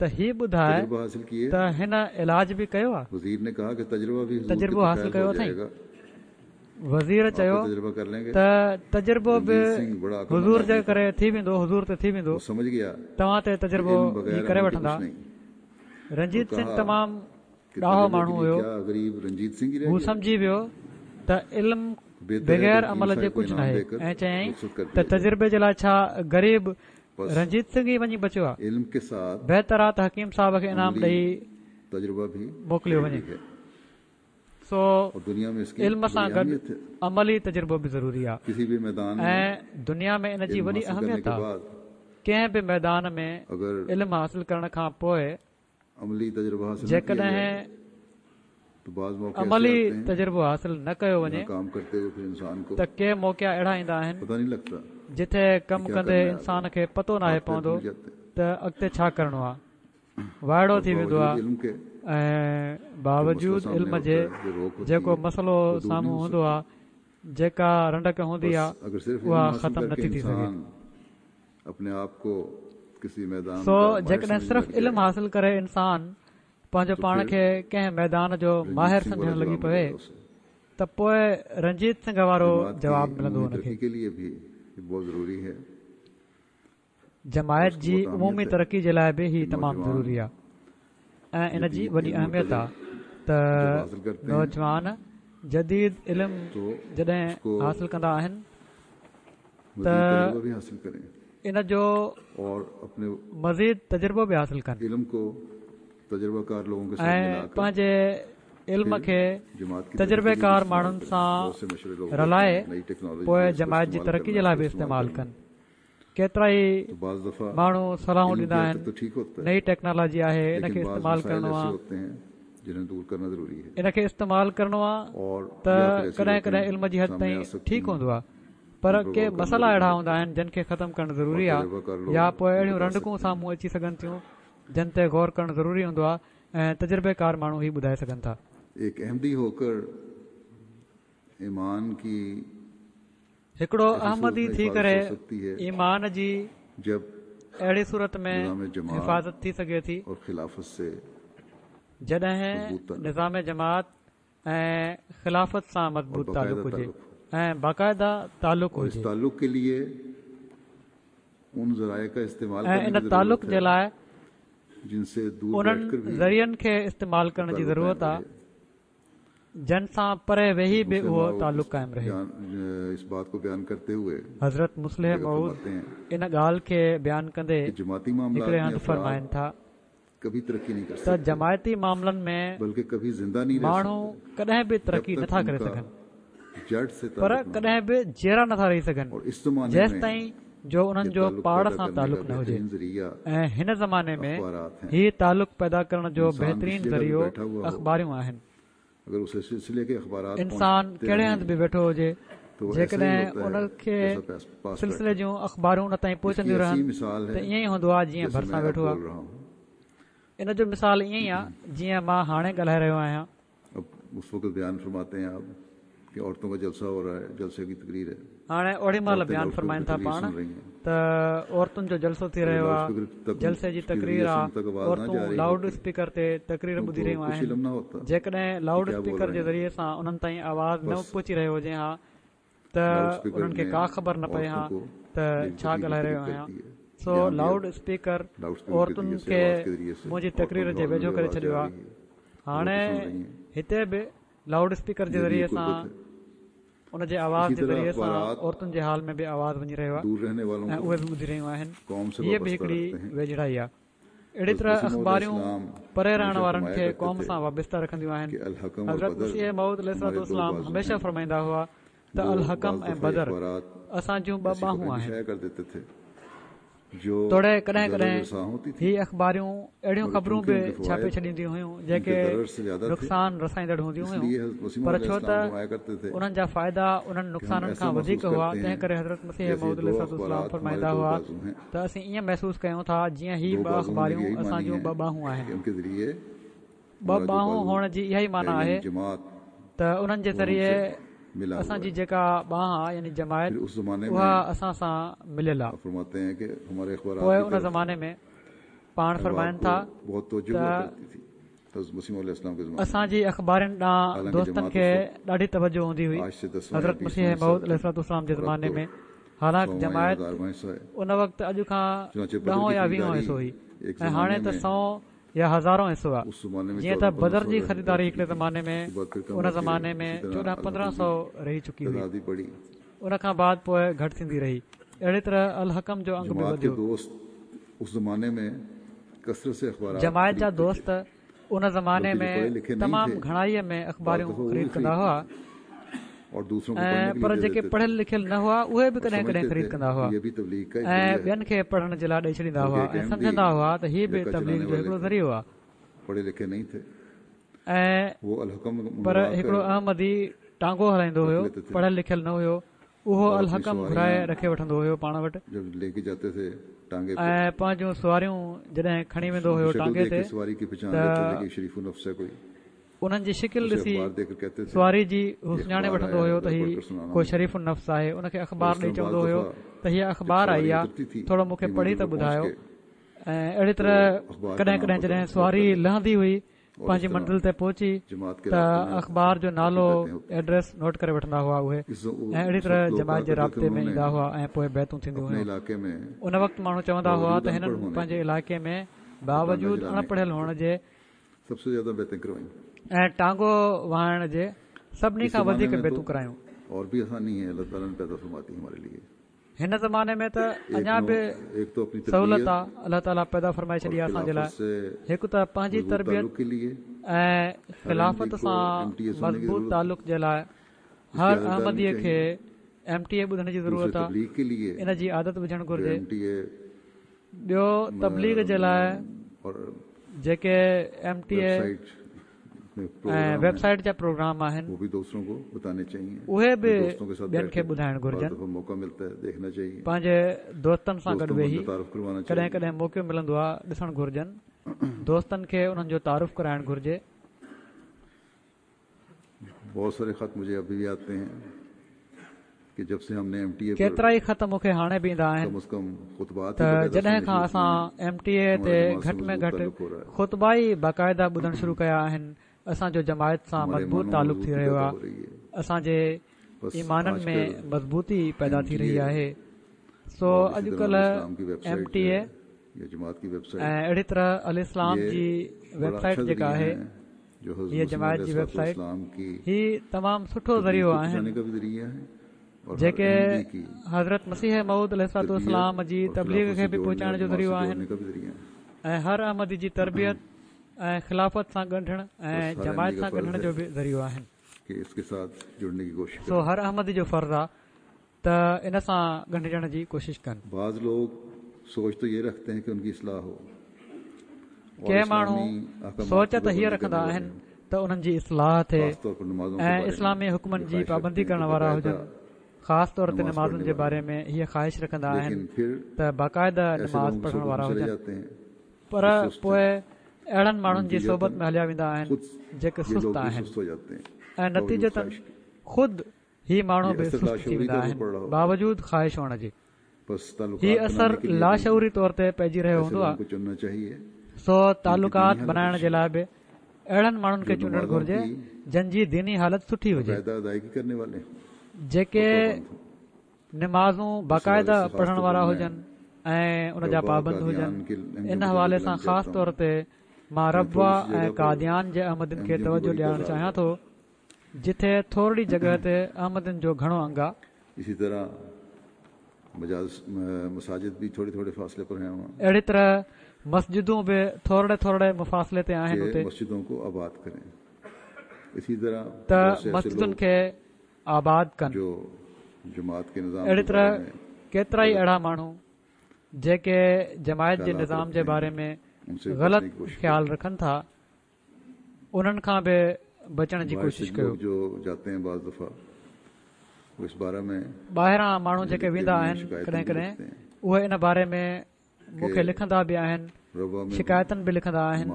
त ही ॿुधाए तजुर्बा हासिल किए। त हिन इलाज बि कयो आहे, वजीर ने कहा कि तजुर्बा भी हुजूर के तजुर्बो हासिल तुफैल कयो हो अथई? जाएगा, वज़ीर आप चयो भी तजुर्बा कर लेंगे। त तजुर्बो बि रंजीत सिंह बड़ा अक्लमंद हुज़ूर जे आदमी था, करे थी वेंदो, हुज़ूर ते थी वेंदो, वो समझ गया तव्हां ते कि तजुर्बो इल्म ही बगैर करे अमल के वठंदा। कुछ नहीं। और रंजीत सिंह कहा तमामु कि ॾाहो तजुर्बे के माण्हू लिए हुयो, क्या गरीब रंजीत सिंह ही रह हू गया, सम्झी वियो त इल्म बेहतर है कि बग़ैर हकीम अमल जे साहिब को कुझु इनाम नाहे। देकर ऐं चयईं रुखसत कर त दिया जाए। तजुर्बे जे लाइ छा ग़रीब बस रंजीत सिंह ई वञी बचियो आहे? इल्म के साथ बहितर आहे त हकीम साहब खे इनाम अमली ॾेई तजुर्बा भी मोकिलियो जरूरी वञे। है सो और दुनिया में इसकी इल्म सां बड़ी गॾु अहमियत है। अमली तजुर्बो बि ज़रूरी आहे किसी भी मैदान में ऐं दुनिया में इन जी इल्म वॾी हासिल करने अहमियत के आहे। बाद कंहिं बि मैदान में अगर इल्म हासिल करण खां पोइ अमली तजुर्बा हासिल न किया जाए जेकॾहिं तो बाज़ मौके ऐसे अमली आते हैं तजुर्बो हासिल न कयो जहाँ वञे काम करते हुए फिर इंसान को त के मौक़ा अहिड़ा ईंदा आहिनि पता नहीं लगता जिथे कि कमु क्या कंदे करने आ इंसान रहे खे पतो हैं, नाहे हाथ पैर पवंदो भूल जाते हैं। त अॻिते छा करिणो आहे, वाइड़ो और थी वेंदो बावजूद आहे इल्म के ऐं जो मसला बावजूद सामने इल्म होता जे है, जो रोक होती जेको है, मसइलो वो दूर नहीं साम्हूं हो हूंदो सकती। आहे, जेका रंडक हूंदी बस आहे अगर सिर्फ इल्म उहा हासिल ख़तमु करके नथी थी सघे। इंसान अपने आप को किसी मैदान सो का माहिर जेकॾहिं समझने सिर्फ़ लग इल्म जाए हासिल करे इंसान पंहिंजो तो पाण फिर खे कंहिं मैदान जो रंजीत माहिर सिंह वाला सम्झण लॻी जवाब पवे मिलेगा उसे। त पोइ रंजीत सिंह वारो जमात की जवाबु मिलंदो उमूमी हुनखे। तरक्की के लिए भी ये बहुत ज़रूरी है और जमायत उसकी जी बहुत उमूमी अहमियत है तरक़ी जे लाइ बि कि ही तमामु नौजवान ज़रूरी आहे ऐं इन जी जदीद वॾी इल्म और अहमियत आहे तजुर्बा त जब हासिल करते हैं नौजवान जदीद इल्म तो जॾहिं उसको हासिल कंदा आहिनि त मज़ीद तजुर्बा भी हासिल करें इन जो और अपने मज़ीद तजुर्बो बि हासिल कनि इल्म को तजुर्बाकार लोगों के साथ ऐं मिलाकर पंहिंजे इल्म फिर खे जमात की तरक्की के लिए भी तजुर्बेकार इस्तेमाल माण्हुनि करें। सां बहुत से मशवरे लोग देते रलाए हैं, नई टेक्नोलॉजी पोइ है, इसको जमायत जी इस्तेमाल तरक़ी करना, जे लाइ इसको बि इस्तेमाल इस्तेमालु करना। कनि। केतिरा ई तो बाज़ दफ़ा माण्हू सलाहूं इल्म ॾींदा की हद तक आहिनि, तो ठीक होता है, नई टेक्नोलॉजी आहे इनखे लेकिन बाज़ इस्तेमालु मसाइल करिणो ऐसे आहे, होते हैं जिन्हें दूर करना ज़रूरी है इनखे इस्तेमालु करिणो आहे और त या फिर ऐसी कॾहिं कॾहिं रोकें इल्म जी हद सामने ताईं आ सकती ठीकु हैं हूंदो आहे, पर जिन पर के गौर करना मसइला ज़रूरी अहिड़ा होता हूंदा है आहिनि जन खे ख़तमु करणु और ज़रूरी आहे तजुर्बाकार या लोग पोइ ये अहिड़ियूं बता रंडकूं सकते हैं। साम्हूं अची सघनि थियूं जन ते गौर करणु ज़रूरी हूंदो आहे ऐं तजुर्बेकार माण्हू ई ॿुधाए सघनि था। एक अहमदी होकर ईमान की हिकिड़ो ऐसी सूरत अहमदी में थी हिफाजत करे हो सकती है ईमान जी जब अहिड़ी सूरत में निज़ाम जमात हिफाज़त थी सघे थी और खिलाफत से जॾहिं मजबूत ताल्लुक निज़ाम जमात ऐं ख़िलाफ़त सां और मज़बूत बाकायदा तालुक हुजे ताल्लुक हो ऐं बाक़ाइदा तालुक और इस हुजे ताल्लुक के लिए उन ज़राए का इस्तेमाल ऐं करने इन की ज़रूरत तालुक जे है लाइ जिनसे दूर उन्हनि बैठकर भी ज़रियनि खे इस्तेमालु वो करण जी ताल्लुक ज़रूरत कायम आहे रहे। जन सां परे वेही बि मुस्लिम उहो मऊद तालुक इस क़ाइमु रहे। बयान इस बात को बयान करते हुए हज़रत मुस्लिह जगह मऊद फरमाते हैं इन ॻाल्हि खे बयानु कंदे कि जमाती मामलात हिकिड़े में हंधि अफराद फरमाइनि था कभी तरक्की नहीं कर त सकते, जमायती मामलनि में बल्कि कभी जिंदा नहीं रह माण्हू सकते कॾहिं बि जब तरक़ी तक नथा करे उनका सघनि, जड़ से पर ताल्लुक न हो। कॾहिं बि जीअरा नथा रही सघनि और इस जमाने जेसि में ताईं जो उन्हनि ये जो ताल्लुक पाण पैदा सां करने का तालुक न हुजे। बेहतरीन जरिया ऐं हिन ज़माने में अखबारात हैं। ही तालुक पैदा करण जो इंसान जिस बहितरीन जगह भी ज़रियो बैठा हुआ हो अख़बारियूं आहिनि। अगर उस सिलसिले के अखबारात इंसान पहुंचते कहिड़े रहें हंधि बि वेठो हुजे, तो वो ऐसा ही जेकॾहिं होता है उनखे जैसा पास पास सिलसिले बैठा। जूं अख़बारूं उन ताईं इसकी पहुचंदियूं ऐसी रहनि मिसाल त है ईअं ई हूंदो आहे जीअं जैसे भरिसां मैं अब वेठो आहे। बोल रहा हूँ। इन जो मिसाल ईअं ई आहे जीअं मां हाणे ॻाल्हाए रहियो आहियां। अब उस वक्त बयान फरमाते हैं आप कि औरतों का जलसा हो रहा है, जलसे की तकरीर है, हाणे ओॾी महिल औरतें बयानु लाउड स्पीकर फरमाइनि पे था तकरीर पाण सुन रही हैं। त औरतुनि जो जलसो थी अगर रहियो लाउड आहे, स्पीकर तक जलसे जी उसके तकरीर जरिए से आहे, उन तक आवाज ना औरतूं जा रही लाउड होती स्पीकर ते तकरीर तो ॿुधी उनको रहियूं कुछ आहिनि। इल्म ना होता जेकॾहिं कि लाउड क्या बोल स्पीकर रहे जे हैं। ज़रिए सां उन्हनि ताईं आवाज़ न बस पहुची रहियो हुजे हा त लाउड स्पीकर उन्हनि खे ने का ख़बर न पए हा औरतों को त मेरी छा तकरीर ॻाल्हाए करीब रहियो कर आहियां। दी है। सो यहाँ भी लाउड अब स्पीकर लाउड स्पीकर के औरतुनि जरिए से खे आवाज के जरिए से मुंहिंजी औरतों तकरीर के जे हॉल में वेझो भी करे आवाज छॾियो जा आहे। रही है और वो हाणे भी सुन रही हैं। हिते बि लाउड स्पीकर जे ये भी ज़रिए एक सां कुर्बत है। उन जे आवाज़ इसी जे तरह ज़रिए सां अखबारात औरतुनि जे हाल में बि आवाज़ वञी रहियो आहे दूर रहने वालों ऐं को उहे बि ॿुधी रहियूं आहिनि। कौम से हीअ बि वाबस्ता हिकिड़ी रखते हैं। वेझड़ाई आहे। अहिड़ी हज़रत तरह मसीह मौद अख़बारियूं इस्लाम परे रहण हमेशा वारनि फरमाया खे करते क़ौम थे सां वाबस्ता रखंदियूं आहिनि। कि अल हकम और हज़रत बदर मसीह मौद हमारे दो अलैहिस्सलाम बाजू हमेशह हैं। फरमाईंदा हुआ ته الحڪم ۽ بدر اسان جون ٻه ٻانهون آهن. توڙي ڪڏهن ڪڏهن هي اخباريون اهڙيون خبرون به ڇاپي ڇڏينديون هيون جيڪي نقصان رسائيندڙ هونديون هيون، پر ڇو ته انهن جا فائدا انهن نقصانن کان وڌيڪ هئا، تنهن ڪري حضرت مسيح موعود عليه الصلوة والسلام فرمائيندا هئا ته اسين ائين محسوس ڪيون ٿا جيئن هي ٻه اخباريون اسان جون ٻه ٻانهون آهن. ٻه ٻانهون هئڻ جي اها ئي معنيٰ آهي ته انهن جي ذريعي اسان جي جيڪا ٻانهن آهي يعني جماعت اها اسان سان مليل آهي. پوءِ ان زماني ۾ پاڻ فرمائن ٿا ته اسان جي اخبارن ڏانهن دوستن کي ڏاڍي توجه هوندي هئي حضرت مسيح موعود عليه الصلوة والسلام جي زماني ۾، حالانڪ جماعت ان وقت اڄ کان ڏهون يا ويهون حصو هئي ۽ هاڻي ته سؤ يا هزارون حصو آهي. جيئن ته بدر جي خريداري هڪڙي زماني ۾ ان زماني ۾ چوڏهن پندرهن سؤ رهي چڪي هئي، ان کان بعد پوءِ گهٽ ٿيندي رهي. اهڙي طرح الحڪم جو انگ به وڌيو. جماعت جا دوست ان زماني ۾ تمام گهڻائيءَ ۾ اخباريون خريد ڪندا هئا، ۽ پر جيڪي پڙهيل لکيل نه هئا اهي به ڪڏهن ڪڏهن خريد ڪندا هئا ۽ ٻين کي پڙهڻ جي لاءِ ڏئي ڇڏيندا هئا ۽ سمجهندا هئا ته هي به تبليغ جو هڪڙو ذريعو آهي. ۽ پر هڪڙو احمدي ٽانگو هلائيندو هيو، پڙهيل لکيل نه هيو، اهو الحڪم گهرائي رکي وٺندو هيو پاڻ وٽ ۽ پنهنجون سواريون جڏهن کڻي ويندو هيو ٽانگي تي ته انهن جي شڪل ڏسي سواري جي هو سڃاڻي وٺندو هيو ته هي ڪو شريف النفس آهي. ان کي اخبار ڏئي چوندو هيو ته هيءَ اخبار آئي آهي، ٿورو مون کي پڙهي ته ٻڌايو. ۽ اهڙي طرح ڪڏهن ڪڏهن جڏهن سواري لهندي هئي پنهنجي منزل تي پهچي ته اخبار جو نالو ايڊريس نوٽ ڪري وٺندا هئا اهي، ۽ اهڙي طرح جماعت جي رابطي ۾ ايندا هئا ۽ پوءِ بيعتون ٿينديون هيون. ان وقت ماڻهو چوندا هئا ته هنن پنهنجي علائقي ۾ باوجود اڻ پڙهيل هئڻ جي ۽ ٽانگو وهائڻ جي سڀني کان وڌيڪ بيعتون ڪرايون. هن زماني ۾ ته اڃا به سهولت آهي، الله تعاليٰ پيدا فرمائي ڇڏي آهي اسان جي لاءِ. هڪ ته پنهنجي تربيت ۽ خلافت سان مضبوط تعلق جي لاءِ هر احمديءَ کي ايم ٽي اي ٻڌڻ جي ضرورت آهي، ان جي عادت وجهڻ گهرجي. ٻيو تبليغ جي لاءِ جيڪي ايم ٽي اي ۽ ويب سائيٽ جا پروگرام آهن اهي به ٻين کي ٻڌائڻ گهرجن. پنهنجي دوستن سان گڏ ويهي ڪڏهن ڪڏهن موقعو ملندو آهي ڏسڻ گهرجن، دوستن کي انهن جو تعارف ڪرائڻ گهرجي. ڪيترا ئي خط مون کي هاڻي به ايندا آهن ته جڏهن کان اسان ايم ٽي اي تي گهٽ ۾ گهٽ خطبا ئي باقاعده ٻڌڻ شروع ڪيا آهن، اسان جو جماعت سان مضبوط تعلق ٿي رهيو آهي، اسان جي ايمانن ۾ مضبوطي پيدا ٿي رهي آهي. سو اڄڪلهه ايم ٽي اي ۽ اهڙي طرح الاسلام جي ويب سائيٽ جيڪا آهي، هيءَ جماعت جي ويب سائيٽ، هي تمام سٺو ذريعو آهن جيڪي حضرت مسيح موعود عليه الصلوة والسلام جي تبليغ کي به پهچائڻ جو ذريعو آهن ۽ هر احمدي جي تربيت ۽ خلافت سان ڳنڍڻ ۽ جماعت سان ڳنڍڻ جو به ذريعو آهن. سو هر احمدي جو فرض آهي ته ان سان ڳنڍجڻ جي ڪوشش ڪن. ڪي ماڻهو سوچ ته هيءَ رکندا آهن ته انهن جي اصلاح ٿئي ۽ اسلامي حڪمن جي پابندي ڪرڻ وارا هجن، خاص طور تي نمازن جي باري ۾ هيءَ خواهش رکندا آهن ته باقاعده نماز پڙهڻ وارا هجن، پر پوءِ اهڙن ماڻهن جي صحبت ۾ هليا ويندا آهن جيڪي سست آهن ۽ نتيجتن خود هي ماڻهو به سست ٿي ويندا آهن باوجود خواهش هئڻ جي. هي اثر لاشعوري طور تي پئجي رهيو هوندو آهي. سو تعلقات بنائڻ جي لاءِ به اهڙن ماڻهن کي چونڊڻ گهرجي جن جي ديني حالت سٺي هجي، جيڪي نمازون باقاعده پڙهڻ وارا هجن ۽ ان جا پابند هجن. ان حوالي سان خاص طور تي مان ربوه ۽ قاديان جي احمدين کي توجه ڏيارڻ چاهيان ٿو، جتي ٿورڙي جڳهه تي احمدين جو گهڻو انگ آهي. اهڙي طرح مسجدون به ٿورڙي ٿورڙي مفاصلي تي آهن اتي، ته مسجدن کي آباد ڪن. اهڙي طرح ڪيترا ئي اهڙا ماڻهو جيڪي جماعت جي نظام جي باري ۾ غلط خيال رکن ٿا، انهن کان به بچڻ جي ڪوشش ڪيو. ٻاهران ماڻهو جيڪي ويندا آهن ڪڏهن ڪڏهن اهي ان باري ۾ مون کي لکندا به آهن، شڪايتن به لکندا آهن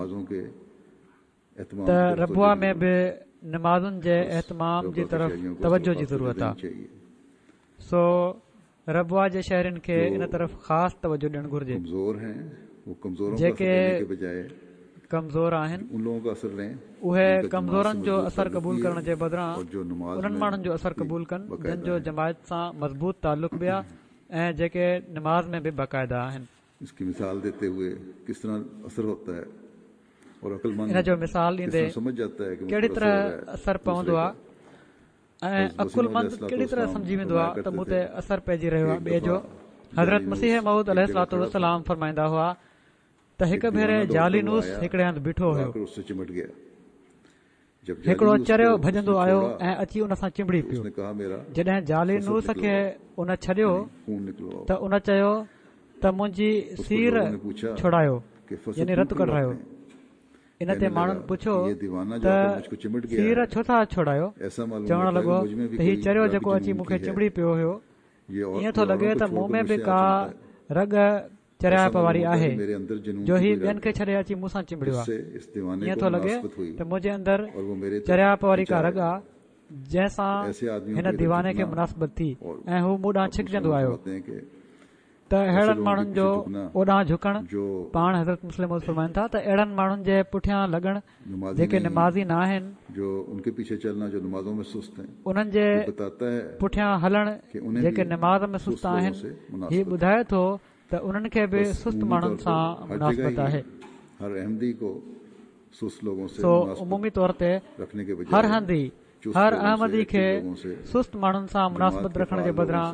ته ربوه ۾ به نمازن جي اهتمام جي طرف توجه جي ضرورت آهي. سو ربوه جي شهرين کي ان طرف خاص توجه ڏيڻ گهرجي. جيڪي ڪمزور آهن اهي ڪمزورن جو اثر قبول ڪرڻ جي بدران انهن ماڻهن جو اثر قبول ڪن جن جو جماعت سان مضبوط تعلق به آهي ۽ جيڪي نماز ۾ به باقاعده آهن. ان جو مثال ڏيندي ڪهڙي طرح اثر پوندو آهي ۽ عقلمند ڪهڙي طرح سمجهي ويندو آهي ته مون تي اثر پئجي رهيو آهي ٻئي جو. حضرت مسيح موعود عليه الصلوة والسلام فرمائيندا هئا ته هڪ ڀيري جالينوس هڪڙي هنڌ بيٺو هيو. هڪڙو چريو ڀڄندو آيو ۽ اچي ان سان چنبڙي پيو. جڏهن جالينوس کي ان ڇڏيو ته ان چيو ته منهنجي سير ڇوڙايو، يعني رت ڪڍرايو. ان تي ماڻهن پڇيو ته سير ڇو ٿا ڇوڙايو؟ چوڻ لڳو ته هي چريو جيڪو اچي مون کي چنبڙي پيو هيو، ائين ٿو لڳي ته مون ۾ به ڪا رڳ چريائپ واري آهي جو هي ٻين کي ڇڏي اچي مون سان چنبڙيو آهي. ائين ٿو لڳي ته منهنجي اندر چريائپ واري ڪا رڳ آهي جنهن سان هن ديواني کي مناسبت ٿي ۽ هو مون ڏانهن ڇڪجندو آيو. ته اهڙن ماڻهن جو اوڏانهن جهڪڻ، پاڻ حضرت مصلح موعود فرمائن ٿا ته اهڙن ماڻهن جي پٺيان لڳڻ جيڪي نمازي نه آهن، انهن جي پٺيان هلڻ جيڪي نماز ۾ سست آهن، هي ٻڌائي ٿو ته انهن کي به سست ماڻهن سان مناسبت آهي. سو عمومي طور تي هر هنڌ ئي هر احمدي کي سست ماڻهن سان مناسبت رکڻ جي بدران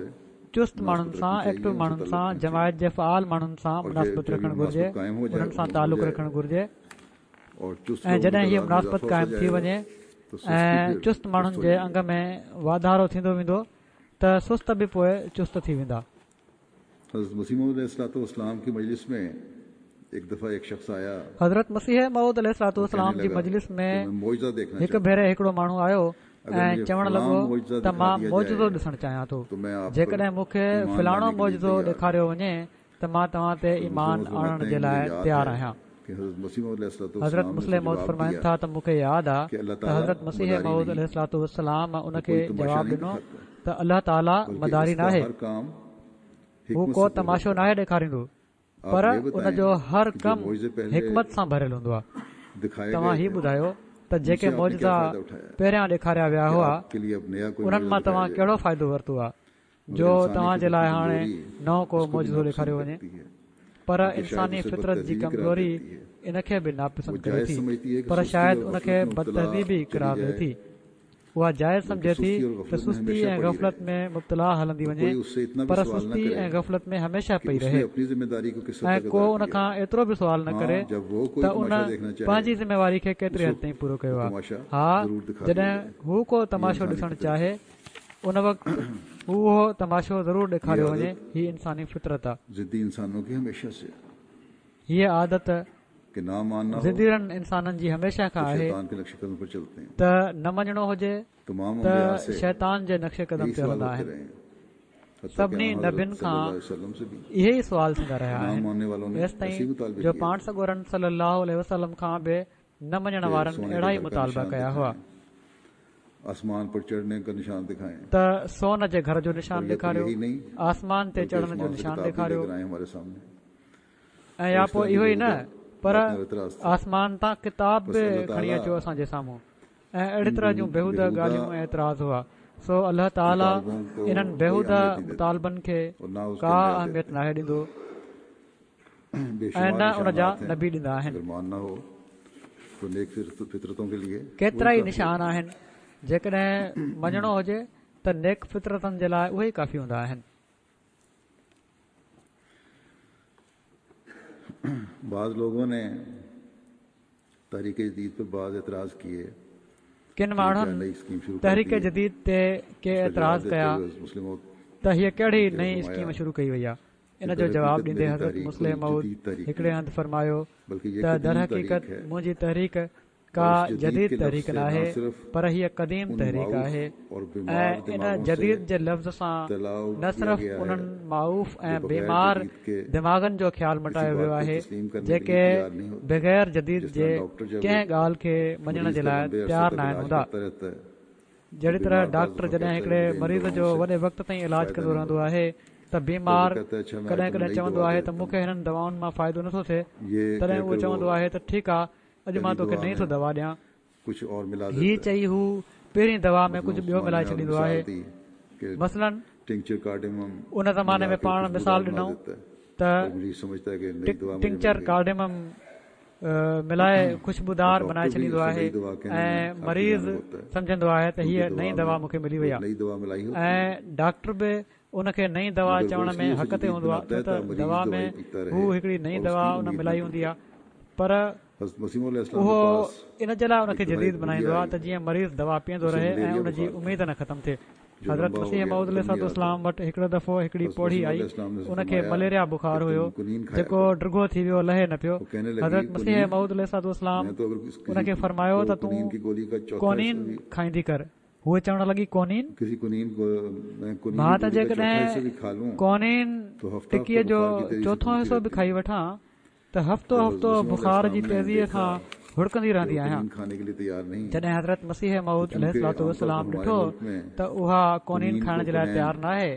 چست ماڻهن سان، ايڪٽو ماڻهن سان، جماعت جي فعال ماڻهن سان مناسبت رکڻ گهرجي، انهن سان تعلق رکڻ گهرجي. ۽ جڏهن هيء مناسبت قائم ٿي وڃي ۽ چست ماڻهن جي انگ ۾ واڌارو ٿيندو ويندو ته سست به پوءِ چست ٿي ويندا. حضرت مسيح موعود عليه الصلوة والسلام کی مجلس میں ایک دفعہ ایک شخص آیا. حضرت مسيح موعود عليه الصلوة والسلام جي مجلس ۾ هڪ ڀيري هڪڙو ماڻهو آيو ۽ چوڻ لڳو ته مان معجزو ڏسڻ چاهيان ٿو، جيڪڏهن مون کي فلاڻو معجزو ڏيکاريو وڃي ته مان توهان تي ايمان آڻڻ جي لاءِ تيار آهيان. حضرت مصلح موعود فرمائن ٿا ته مون کي ياد آهي ته حضرت مسيح موعود عليه الصلوة والسلام ان کي جواب ڏنو ته الله تعاليٰ مداري ناهي، هو ڪو تماشو ناهي ڏيکاريندو، پر ان جو هر ڪم حڪمت سان ڀريل هوندو آهي. توهان هي ٻڌايو ته جيڪي معجزا پهريان ڏيکاريا ويا هئا انهن مان توهان ڪهڙو فائدو ورتو آهي جو توهان جي لاءِ هاڻي نئون ڪو معجزو ڏيکاريو وڃي؟ پر انساني فطرت جي ڪمزوري ان کي به ناپسند ڪري ٿي، پر شايد ان کي بدتهذيبي قرار ڏئي ٿي. اها جائز سمجهي ٿي ته سستي ۽ غفلت ۾ مبتلا هلندي وڃي، پر سستي ۽ غفلت ۾ هميشه پئي رهي ۽ ڪو ان کان ايترو به سوال نه ڪري ته ان پنهنجي ذميواري کي ڪيتري حد تائين پورو ڪيو آهي. ها، جڏهن هو ڪو تماشو ڏسڻ چاهي ان وقت هو اهو تماشو ضرور ڏيکاريو وڃي. هي انساني فطرت آهي. هيءَ عادت ضديرن انسانن جي هميشه کان آهي ته نه مڃڻو هجي ته شيطان جي نقش قدم تي هلندا آهن. سڀني نبين کان اهي ئي سوال ٿيندا رهيا آهن، ايستائين جو پاڻ سڳورن صلي الله عليه وسلم کان به نه مڃڻ وارن اهڙا ئي مطالبا ڪيا هئا ته سون جي گهر جو نشان ڏيکاريو، آسمان تي چڙهڻ جو نشان ڏيکاريو، ۽ يا پوءِ اهو ئي نه پر آسمان تان ڪتاب به کڻي اچو اسان جي سامهون. ۽ اهڙي طرح جون بيهوده ڳالهيون ۽ اعتراض هئا. سو الله تعاليٰ انهن بيهوده مطالبن کي ڪا اهميت ناهي ڏيندو ۽ نه ان جا نبي ڏيندا آهن. ڪيترا ئي نشان آهن، جيڪڏهن مڃڻو هجي ته نيڪ فطرتن جي لاءِ اهي ئي ڪافي هوندا آهن. بعض لوگوں نے تحریک جدید پر بعض اعتراض کیے ڪن ماڻهن تحريڪ جديد تي ڪي اعتراض ڪيا ته هيءَ ڪهڙي نئين اسڪيم شروع ڪئي وئي آهي. ان جو جواب ڏيندي حضرت مصلح موعود هڪڙي هنڌ فرمايو ته درحقيقت منهنجي تحريڪ ڪا جديد تحريڪ ناهي، پر هيءَ قديم تحريڪ آهي ۽ ان جديد جي لفظ سان نه صرف انهن معروف ۽ بيمار دماغن جو خيال مٽايو ويو آهي جيڪي بغير جديد جي ڪنهن ڳالهه کي مڃڻ جي لاءِ تيار ناهن هوندا. جهڙي طرح ڊاڪٽر جڏهن هڪڙي مريض جو وڏي وقت تائين علاج ڪندو رهندو آهي ته بيمار ڪڏهن ڪڏهن چوندو آهي ته مون کي هنن دوائن مان فائدو نٿو ٿئي، تڏهن اهو چوندو آهي ته ٺيڪ آهي، اڄ مان توکي نئين ٿو دوا ڏيان. هي چئي هو پهرين دوا ۾ ڪجهه ٻيو ملائي ڇڏيندو آهي. مثلاً ان زماني ۾ پاڻ مثال ڏنو ته ٽنڪچر ڪارڊيمم ملائي خوشبودار بنائي ڇڏيندو آهي ۽ مريض سمجهندو آهي ته هيءَ نئين دوا مون کي ملي وئي آهي ۽ ڊاڪٽر به ان کي نئين دوا چوڻ ۾ حق تي هوندو آهي، ڇو ته دوا ۾ هو هڪڙي نئين دوا ان ملائي هوندي آهي، پر اهو ان جي لاءِ ان کي جديد بنائيندو آهي ته جيئن مريض دوا پيئندو رهي ۽ ان جي اميد نه ختم ٿئي. حضرت مسيح موعود عليه الصلوة والسلام وٽ هڪڙو دفعو هڪڙي پوڙهي آئي، ان کي مليريا بخار هيو جيڪو ڊگهو ٿي ويو، لهي نه پيو. حضرت مسيح موعود عليه الصلوة والسلام ان کي فرمايو ته تون ڪونين کائيندي ڪر. هوءَ چوڻ لڳي ڪونين؟ مان ته جيڪڏهن ڪونين ٽڪيءَ جو چوٿون حصو به کائي وٺان ته هفتو هفتو بخار جي تيزيءَ کان هڙڪندي رهندي آهيان. جڏهن حضرت مسيح موعود عليه الصلوة والسلام ڏٺو ته اها ڪونين کائڻ جي لاءِ تيار ناهي،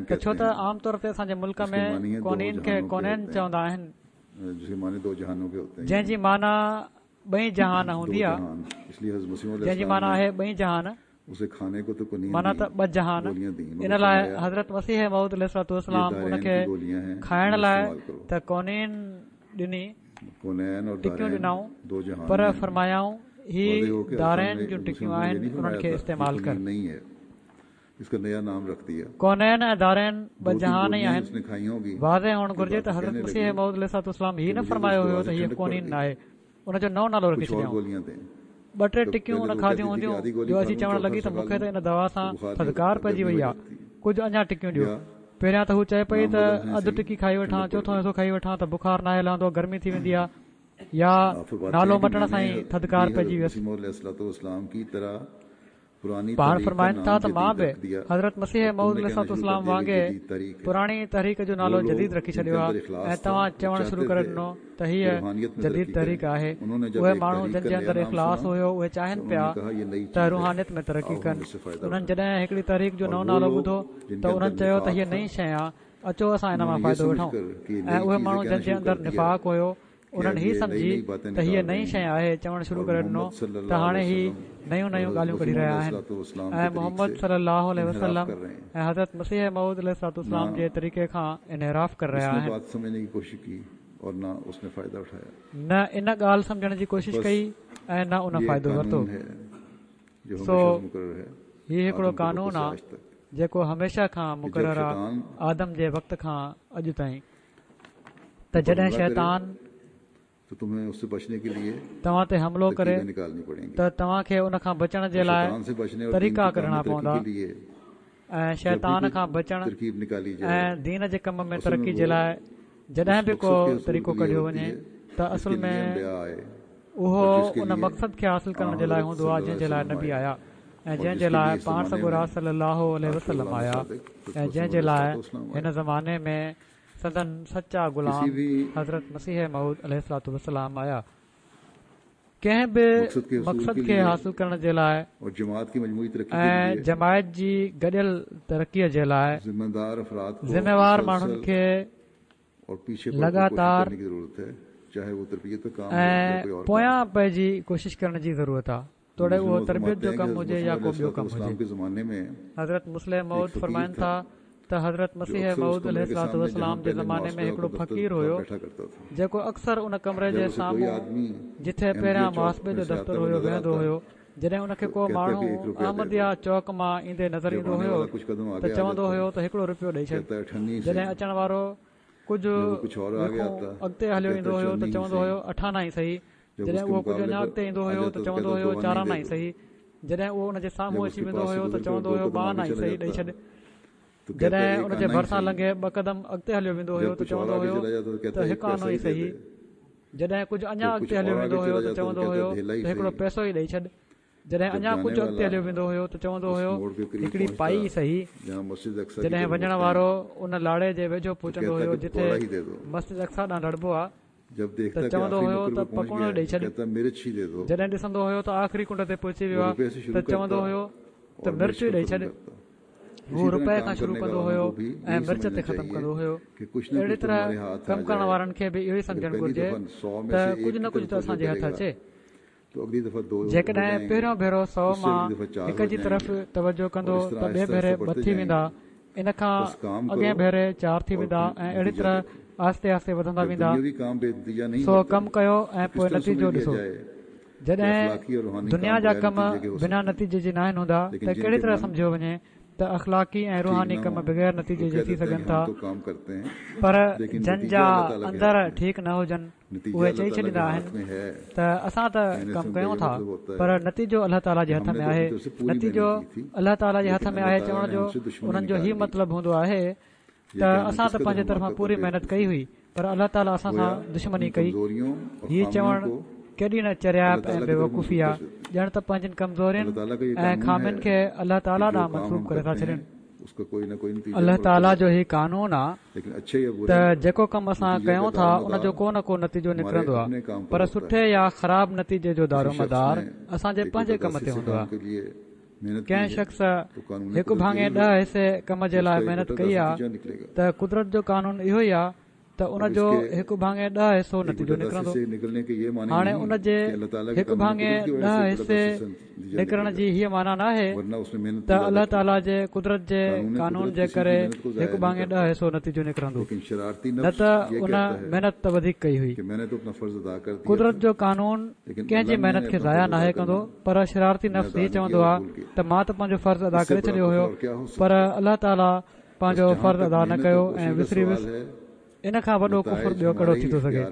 ته ڇو ته عام طور تي اسان جي ملڪ ۾ ڪونين کي ڪونين چوندا آهن، جنهن جي معنيٰ ٻئي جهان هوندي آهي، جنهن جي معنيٰ آهي ٻئي جهان، معنيٰ ته ٻه جهان. ان لاءِ حضرت مسيح موعود عليه الصلوة والسلام ان کي کائڻ لاءِ ته ڪونين ڏني، ٽڪيون ڏنائون، پر فرمايائون هي دارين جون ٽڪيون آهن، انهن کي استعمال ڪر. ڪونين ۽ دارين ٻه جهان ئي آهن. واضح هئڻ گهرجي ته حضرت مسيح موعود عليه الصلوة والسلام هي نه فرمايو هيو ته هيءَ ڪونين ناهي، ان جو نئون نالو رکي ڇڏيائون. ٻه ٽي ٽڪيون ان کاڌيون هونديون جو اچي چوڻ لڳي ته مون کي ته ان دوا سان ٿڌڪار پئجي وئي آهي، ڪجهه اڃا ٽڪيون ڏيو. پهريان ته هو چئي پئي ته اڌ ٽڪي کائي وٺان، چوٿون حصو کائي وٺان ته بخار ناهي لهندو، گرمي ٿي ويندي آهي، يا نالو مٽڻ سان ئي ٿڌڪار پئجي ويس. پاڻ فرمائن ٿا ته مان به حضرت مسيح موعود عليه الصلوة والسلام وانگي پراڻي تحريڪ جو نالو جديد رکي ڇڏيو آهي ۽ توهان چوڻ شروع ڪري ڏنو ته هيءَ جديد تحريڪ آهي. اهي ماڻهو جن جي اندر اخلاص هيو اهي چاهين پيا ته روحانيت ۾ ترقي ڪن. انهن جڏهن هڪڙي تحريڪ جو نئون نالو ٻڌو ته انهن چيو ته هيءَ نئين شيءِ آهي، اچو اسان ان مان فائدو وٺون. ۽ اهي ماڻهو جن جي اندر نفاق هيو انهن هي سمجهي ته هيءَ نئين شيءِ آهي چوڻ شروع ڪري ڏنو ته هاڻي هي نيون نيون ڳالهيون ڪڍي رهيا آهن ۽ محمد صلي الله عليه وسلم ۽ حضرت مسيح موعود عليه الصلوة والسلام جي طريقي کان انحراف ڪري رهيا آهن. نه ان ڳالهه سمجهڻ جي ڪوشش ڪئي ۽ نه ان فائدو ورتو. سو هي هڪڙو قانون آهي جيڪو هميشه کان مقرر آهي، آدم جي وقت کان اڄ تائين، ته جڏهن شيطان توهان تي حملو ڪري ته توهان کي ان کان بچڻ جي لاءِ طريقا ڪڍڻا پوندا ۽ شيطان کان بچڻ ۽ دين جي ڪم ۾ ترقي جي لاءِ جڏهن به ڪو طريقو ڪڍيو وڃي ته اصل ۾ اهو ان مقصد کي حاصل ڪرڻ جي لاءِ هوندو آهي جنهن جي لاءِ نبي آيا ۽ جنهن جي لاءِ پاڻ سڳورا صلي الله عليه وسلم آيا ۽ جنهن جي لاءِ هن زماني ۾ سندن سچا غلام حضرت مسيح موعود عليه الصلوة والسلام آيا. ڪنهن به مقصد کي حاصل ڪرڻ جي لاءِ ۽ جماعت جي گڏيل ترقيءَ جي لاءِ ذميوار ماڻهن کي لڳاتار ۽ پويان پئجي ڪوشش ڪرڻ جي ضرورت آهي، توڙي اهو تربيت جو ڪم هجي يا ڪو ٻيو ڪم هجي. حضرت مصلح موعود فرمائن ٿا ته حضرت مسيح موعود عليه الصلوة والسلام جي زماني ۾ هڪڙو فقير هيو جيڪو اڪثر ان ڪمري جي سامهون جتي پهريان محاسبي جو دفتر هيو ويهندو هيو. جڏهن ان کي ڪو ماڻهو احمديه چوڪ مان ايندي نظر ايندو هيو ته چوندو هيو ته هڪڙو رپيو ڏئي ڇڏ. جڏهن اچڻ وارو ڪجهه اڳتي هليو ايندو هيو ته چوندو هيو اٺانا ئي صحيح. جڏهن اهو ڪجهه اڃا اڳتي ايندو هيو ته چوندو هيو چارانا ئي صحيح. جڏهن اهو ان جي سامهون اچي ويندو هيو ته چوندو هيو ٻه آنا ئي صحيح ڏئي ڇڏ. جڏهن ان جي ڀرسان لنگهي ٻه قدم اڳتي هليو ويندو هيو ته چوندو هيو ته هڪ آنو ئي صحيح. جڏهن ڪجهه اڃا اڳتي هليو ويندو هيو ته چوندو هيو ته هڪڙو پئسو ئي ڏئي ڇڏ. جڏهن اڃا ڪجهه اڳتي هليو ويندو هيو ته چوندو هيو هڪڙي پائي ئي صحيح. جڏهن وڃڻ وارو ان لاڙي جي ويجهو پهچندو هيو جتي مسجد اقصيٰ ڏانهن لڙبو آهي ته چوندو هيو ته پڪوڙو ڏئي ڇڏ. جڏهن ڏسندو هيو ته آخري ڪنڊ تي پهچي ويو آهي ته چوندو هيو ته مرچ ئي ڏئي ڇڏ. هو رپئي کان شروع ڪندو هيو ۽ مرچ تي ختم ڪندو هيو. اهڙي طرح ڪم ڪرڻ وارن کي به اهو ئي سمجهڻ گهرجي ته ڪجهه نه ڪجهه ته اسان جي هٿ اچي. جيڪڏهن پهريون ڀيرو سؤ مان هڪ جي طرف توجه ڪندو ته ٻئي ڀيري ٻه ٿي ويندا، ان کان اڳئين ڀيري چار ٿي ويندا ۽ اهڙي طرح آهستي آهستي وڌندا ويندا. سو ڪم ڪيو ۽ پوءِ نتيجو ڏسو. جڏهن دنيا جا ڪم بنا نتيجي جي ناهن هوندا ته ڪهڙي طرح سمجهيو وڃي ته اخلاقي ۽ روحاني ڪم بغير نتيجي جي ٿي سگهن ٿا؟ پر جن جا اندر ٺيڪ نه هجن اهي چئي ڇڏيندا آهن ته اسان ته ڪم ڪيون ٿا پر نتيجو الله تعاليٰ جي هٿ ۾ آهي. نتيجو الله تعاليٰ جي هٿ ۾ آهي چوڻ جو انهن جو هي مطلب هوندو آهي ته اسان ته پنهنجي طرفان پوري محنت ڪئي هئي پر الله تعاليٰ اسان سان دشمني ڪئي. هي چوڻ ڪيڏي نه چريائپ ۽ بيوقوفي آهي، ڄڻ ته پنهنجن ڪمزورين ۽ خامين کي الله تعاليٰ ڏانهن منسوب ڪري ٿا ڇڏين. الله تعاليٰ جو هي قانون آهي ته جيڪو ڪم اسان ڪيون ٿا ان جو ڪو نه ڪو نتيجو نڪرندو آهي، پر سٺي يا خراب نتيجي جو دارومدار اسان جي پنهنجي ڪم تي هوندو آهي. ڪنهن شخص هڪ ڀاڱي ڏهه حصي ڪم جي لاءِ محنت ڪئي آهي ته قدرت جو قانون اهو ئي آهي ته ان جو هڪ ڀاڱي ڏهه حصو نتيجو نڪرندو. هاڻي ان جي هڪ ڀاڱي ڏهه حصي نڪرڻ جي هيءَ معنيٰ ناهي ته الله تعاليٰ جي قدرت جي قانون جي ڪري هڪ ڀاڱي ڏهه حصو نتيجو نڪرندو، نه ته ان محنت ته وڌيڪ ڪئي هئي. قدرت جو قانون ڪنهن جي محنت کي ضايع ناهي ڪندو، پر شرارتي نفس هي چوندو آهي ته مان ته پنهنجو فرض ادا ڪري ڇڏيو هيو پر الله تعاليٰ پنهنجو فرض ادا نه ڪيو ۽ وسري ويس. ان کان وڏو ڪفر ٻيو ڪهڙو ٿي ٿو سگهي؟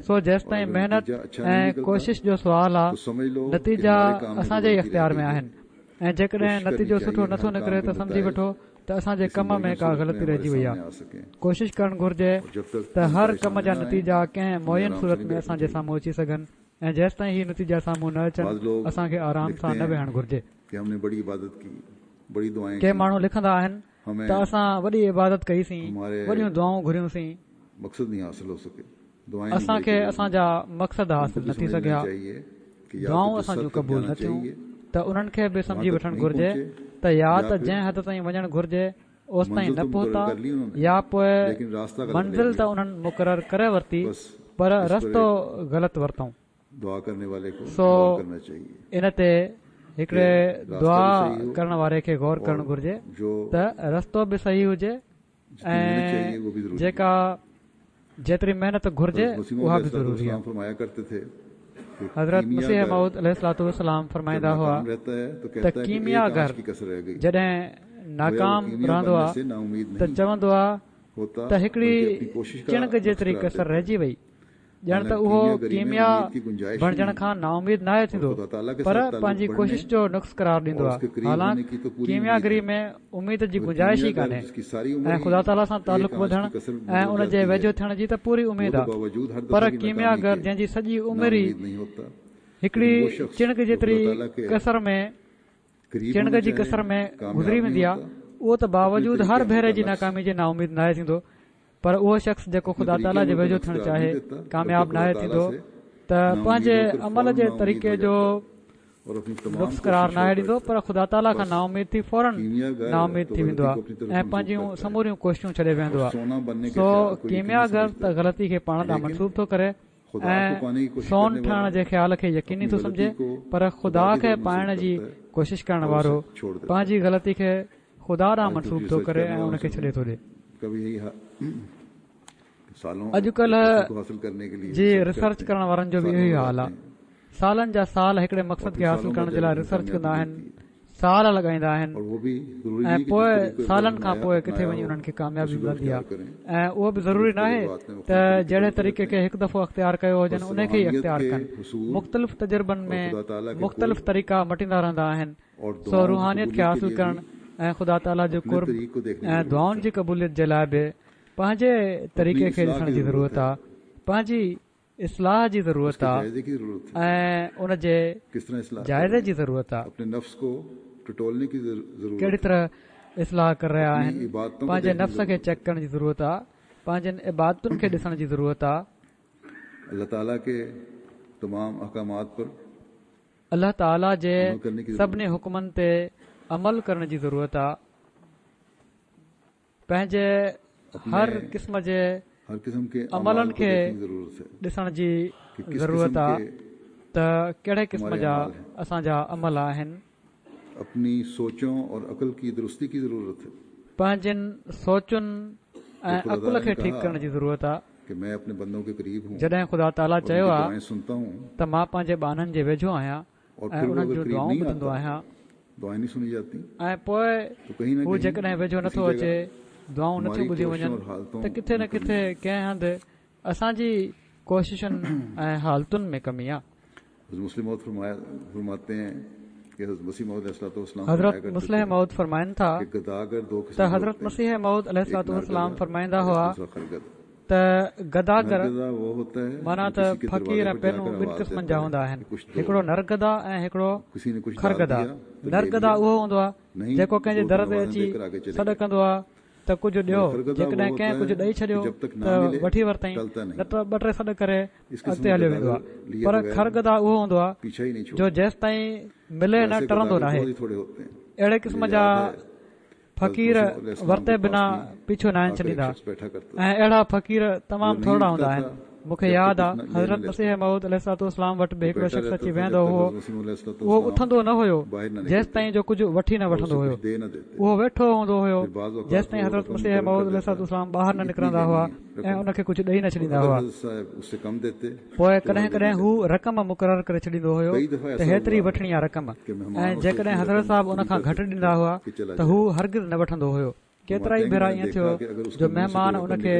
سو جيستائين محنت ۽ ڪوشش جو سوال آهي، نتيجا اسان جي ئي اختيار ۾ آهن ۽ جيڪڏهن نتيجو سٺو نٿو نڪري ته سمجهي وٺو ته اسان جي ڪم ۾ ڪا غلطي رهجي وئي آهي. ڪوشش ڪرڻ گهرجي ته هر ڪم جا نتيجا ڪنهن معين صورت ۾ اسان جي سامهون اچي سگهن ۽ جيستائين هي نتيجا سامهون نه اچن اسان کي آرام سان نه ويهڻ گهرجي. ڪي ماڻهو لکندا آهن ته اسان وڏي عبادت ڪئيسين، وڏيون دعائون گهريونسين، اسان کي اسان جا مقصد حاصل نه ٿي سگهيا، دعائون اسان جون قبول نه ٿيون، ته انهن کي به سمجهي وٺڻ گهرجي ته يا ته جنهن حد تائين وڃڻ گهرجي اوستائين نه پهتا يا پوءِ منزل ته انهن مقرر ڪري ورتي پر رستو غلط ورتائون. سو ان تي هڪڙي دعا ڪرڻ واري کي غور ڪرڻ گهرجي ته رستو به صحيح هجي ۽ جيڪا جيتري محنت گهرجي اها به ضروري آهي. حضرت مسيح موعود عليه الصلوة والسلام فرمائيندا هئا ته ڪيمياگر جڏهن ناڪام رهندو آهي ته چوندو آهي ته هڪڙي چڻگ جيتري ڪسر رهجي وئي، ڄڻ ته اهو ڪيميا بڻجڻ کان نااميد ناهي ٿيندو پر پنهنجي ڪوشش جو نقص قرار ڏيندو آهي. حالانڪ ڪيمياگري ۾ اميد جي گنجائش ئي ڪانهي ۽ خدا تعاليٰ سان تعلق وڌڻ ۽ ان جي ويجهو ٿيڻ جي ته پوري اميد آهي، پر ڪيمياگر جنهن جي سڄي عمر ئي هڪڙي چڻگ جيتري ڪسر ۾ چڻگ جي ڪسر ۾ گذري ويندي آهي، اهو ته باوجود هر ڀيري جي ناڪامي جي نااميد ناهي ٿيندو. پر اهو شخص جيڪو خدا تعاليٰ جي ويجهو ٿيڻ چاهي ڪامياب ناهي ٿيندو ته پنهنجي عمل جي طريقي جو نقص قرار ناهي ڏيندو، پر خدا تعاليٰ کان نااميد ٿي فوراً نااميد ٿي ويندو آهي ۽ پنهنجون سموريون ڪوششون ڇڏي ويهندو آهي. سو ڪيمياگر ته غلطي کي پاڻ ڏانهن منسوب ٿو ڪري ۽ سون ٺهڻ جي خيال کي يقيني ٿو سمجهي، پر خدا کي پائڻ جي ڪوشش ڪرڻ وارو پنهنجي غلطي کي خدا ڏانهن منسوب ٿو ڪري ۽ ان کي ڇڏي ٿو ڏئي. اڄڪلهه جي ريسرچ ڪرڻ وارن جو به اهو ئي حال آهي. سالن جا سال هڪڙي مقصد کي حاصل ڪرڻ جي لاءِ ريسرچ ڪندا آهن، سال لڳائيندا آهن ۽ پوءِ سالن کان پوءِ ڪٿي وڃي انهن کي ڪاميابي ملندي آهي. ۽ اهو به ضروري ناهي ته جهڙي طريقي کي هڪ دفعو اختيار ڪيو هجن ان کي ئي اختيار ڪن. مختلف تجربن ۾ مختلف طريقا مٽيندا رهندا آهن. سو روحانيت کي حاصل ڪرڻ ۽ خدا تعاليٰ جو قرب ۽ دعائن جي قبوليت جي لاءِ به پنهنجي طريقي کي ڏسڻ جي ضرورت آهي، پنهنجي اصلاح جي ضرورت آهي ۽ ان جي جائزي جي ضرورت آهي. ڪهڙي طرح اصلاح ڪري رهيا آهن، پنهنجي نفس کي چيڪ ڪرڻ جي ضرورت آهي، پنهنجن عبادتن کي ڏسڻ جي ضرورت آهي. الله تعاليٰ جي سڀني حڪمن تي عمل ڪرڻ جي ضرورت آهي. پنهنجي هر قسم جي عملن کي ڏسڻ جي ضرورت آهي ته ڪهڙي قسم جا اسان جا عمل آهن. پنهنجن سوچن ۽ عقل کي ٺيڪ ڪرڻ جي ضرورت آهي. جڏهن خدا تعاليٰ چيو آهي ته مان پنهنجي ٻانهن جي ويجهو آهيان ۽ انهن جون دعائون ٻڌندو آهيان، ۽ پوءِ هو جيڪڏهن ويجهو نٿو اچي، دعائون نٿيون ٻڌيون وڃن، ته ڪٿي نه ڪٿي ڪنهن هنڌ اسان جي ڪوششن ۽ حالتن ۾ ڪمي آهي. حضرت مصلح موعود فرمائن ٿا ته حضرت مسيح موعود عليه الصلوة والسلام فرمائيندا هئا ته گداگر معنيٰ ته فقير پينو ٻن قسمن جا هوندا آهن، هڪڙو نرگدا ۽ هڪڙو خرگدا. نرگدا اهو هوندو آهي جيڪو ڪنهن جي در تي اچي سڏ ڪندو آهي ته ڪجهه ڏيو، جيڪڏهن ڪنهن ڪجهه ڏيئي ڇڏيو ته وٺي ورتائين، نه ته ٻه ٽي سڏ ڪري اڳتي هليو ويندو آهي. پر خرگدا اهو هوندو آهي جو جيستائين ملي نه ٽرندو ناهي. اهڙي قسم جا فقير ورتي بنا پيڇو ناهن ڇڏيندا ۽ اهڙا فقير تمام ٿورا هوندا آهن. مون کي ياد آهي حضرت مسيح موعود عليه الصلوة والسلام وٽ به هڪڙو شخص اچي ويهندو هو. اهو اٿندو نه هيو جيستائين جو ڪجهه وٺي نه وٺندو هيو. اهو ويٺو هوندو هيو جيستائين حضرت مسيح موعود عليه الصلوة والسلام ٻاهر نه نڪرندا هئا ۽ ان کي ڪجهه ڏيئي نه ڇڏيندا هئا. پوءِ ڪڏهن ڪڏهن هو رقم مقرر ڪري ڇڏيندو هيو ته هيتري وٺڻي آهي رقم، ۽ جيڪڏهن حضرت صاحب ان کان گهٽ ڏيندا هئا ته هو هرگز نه وٺندو هيو. ڪيترا ئي ڀيرا ائين ٿيو جو مهمان ان کي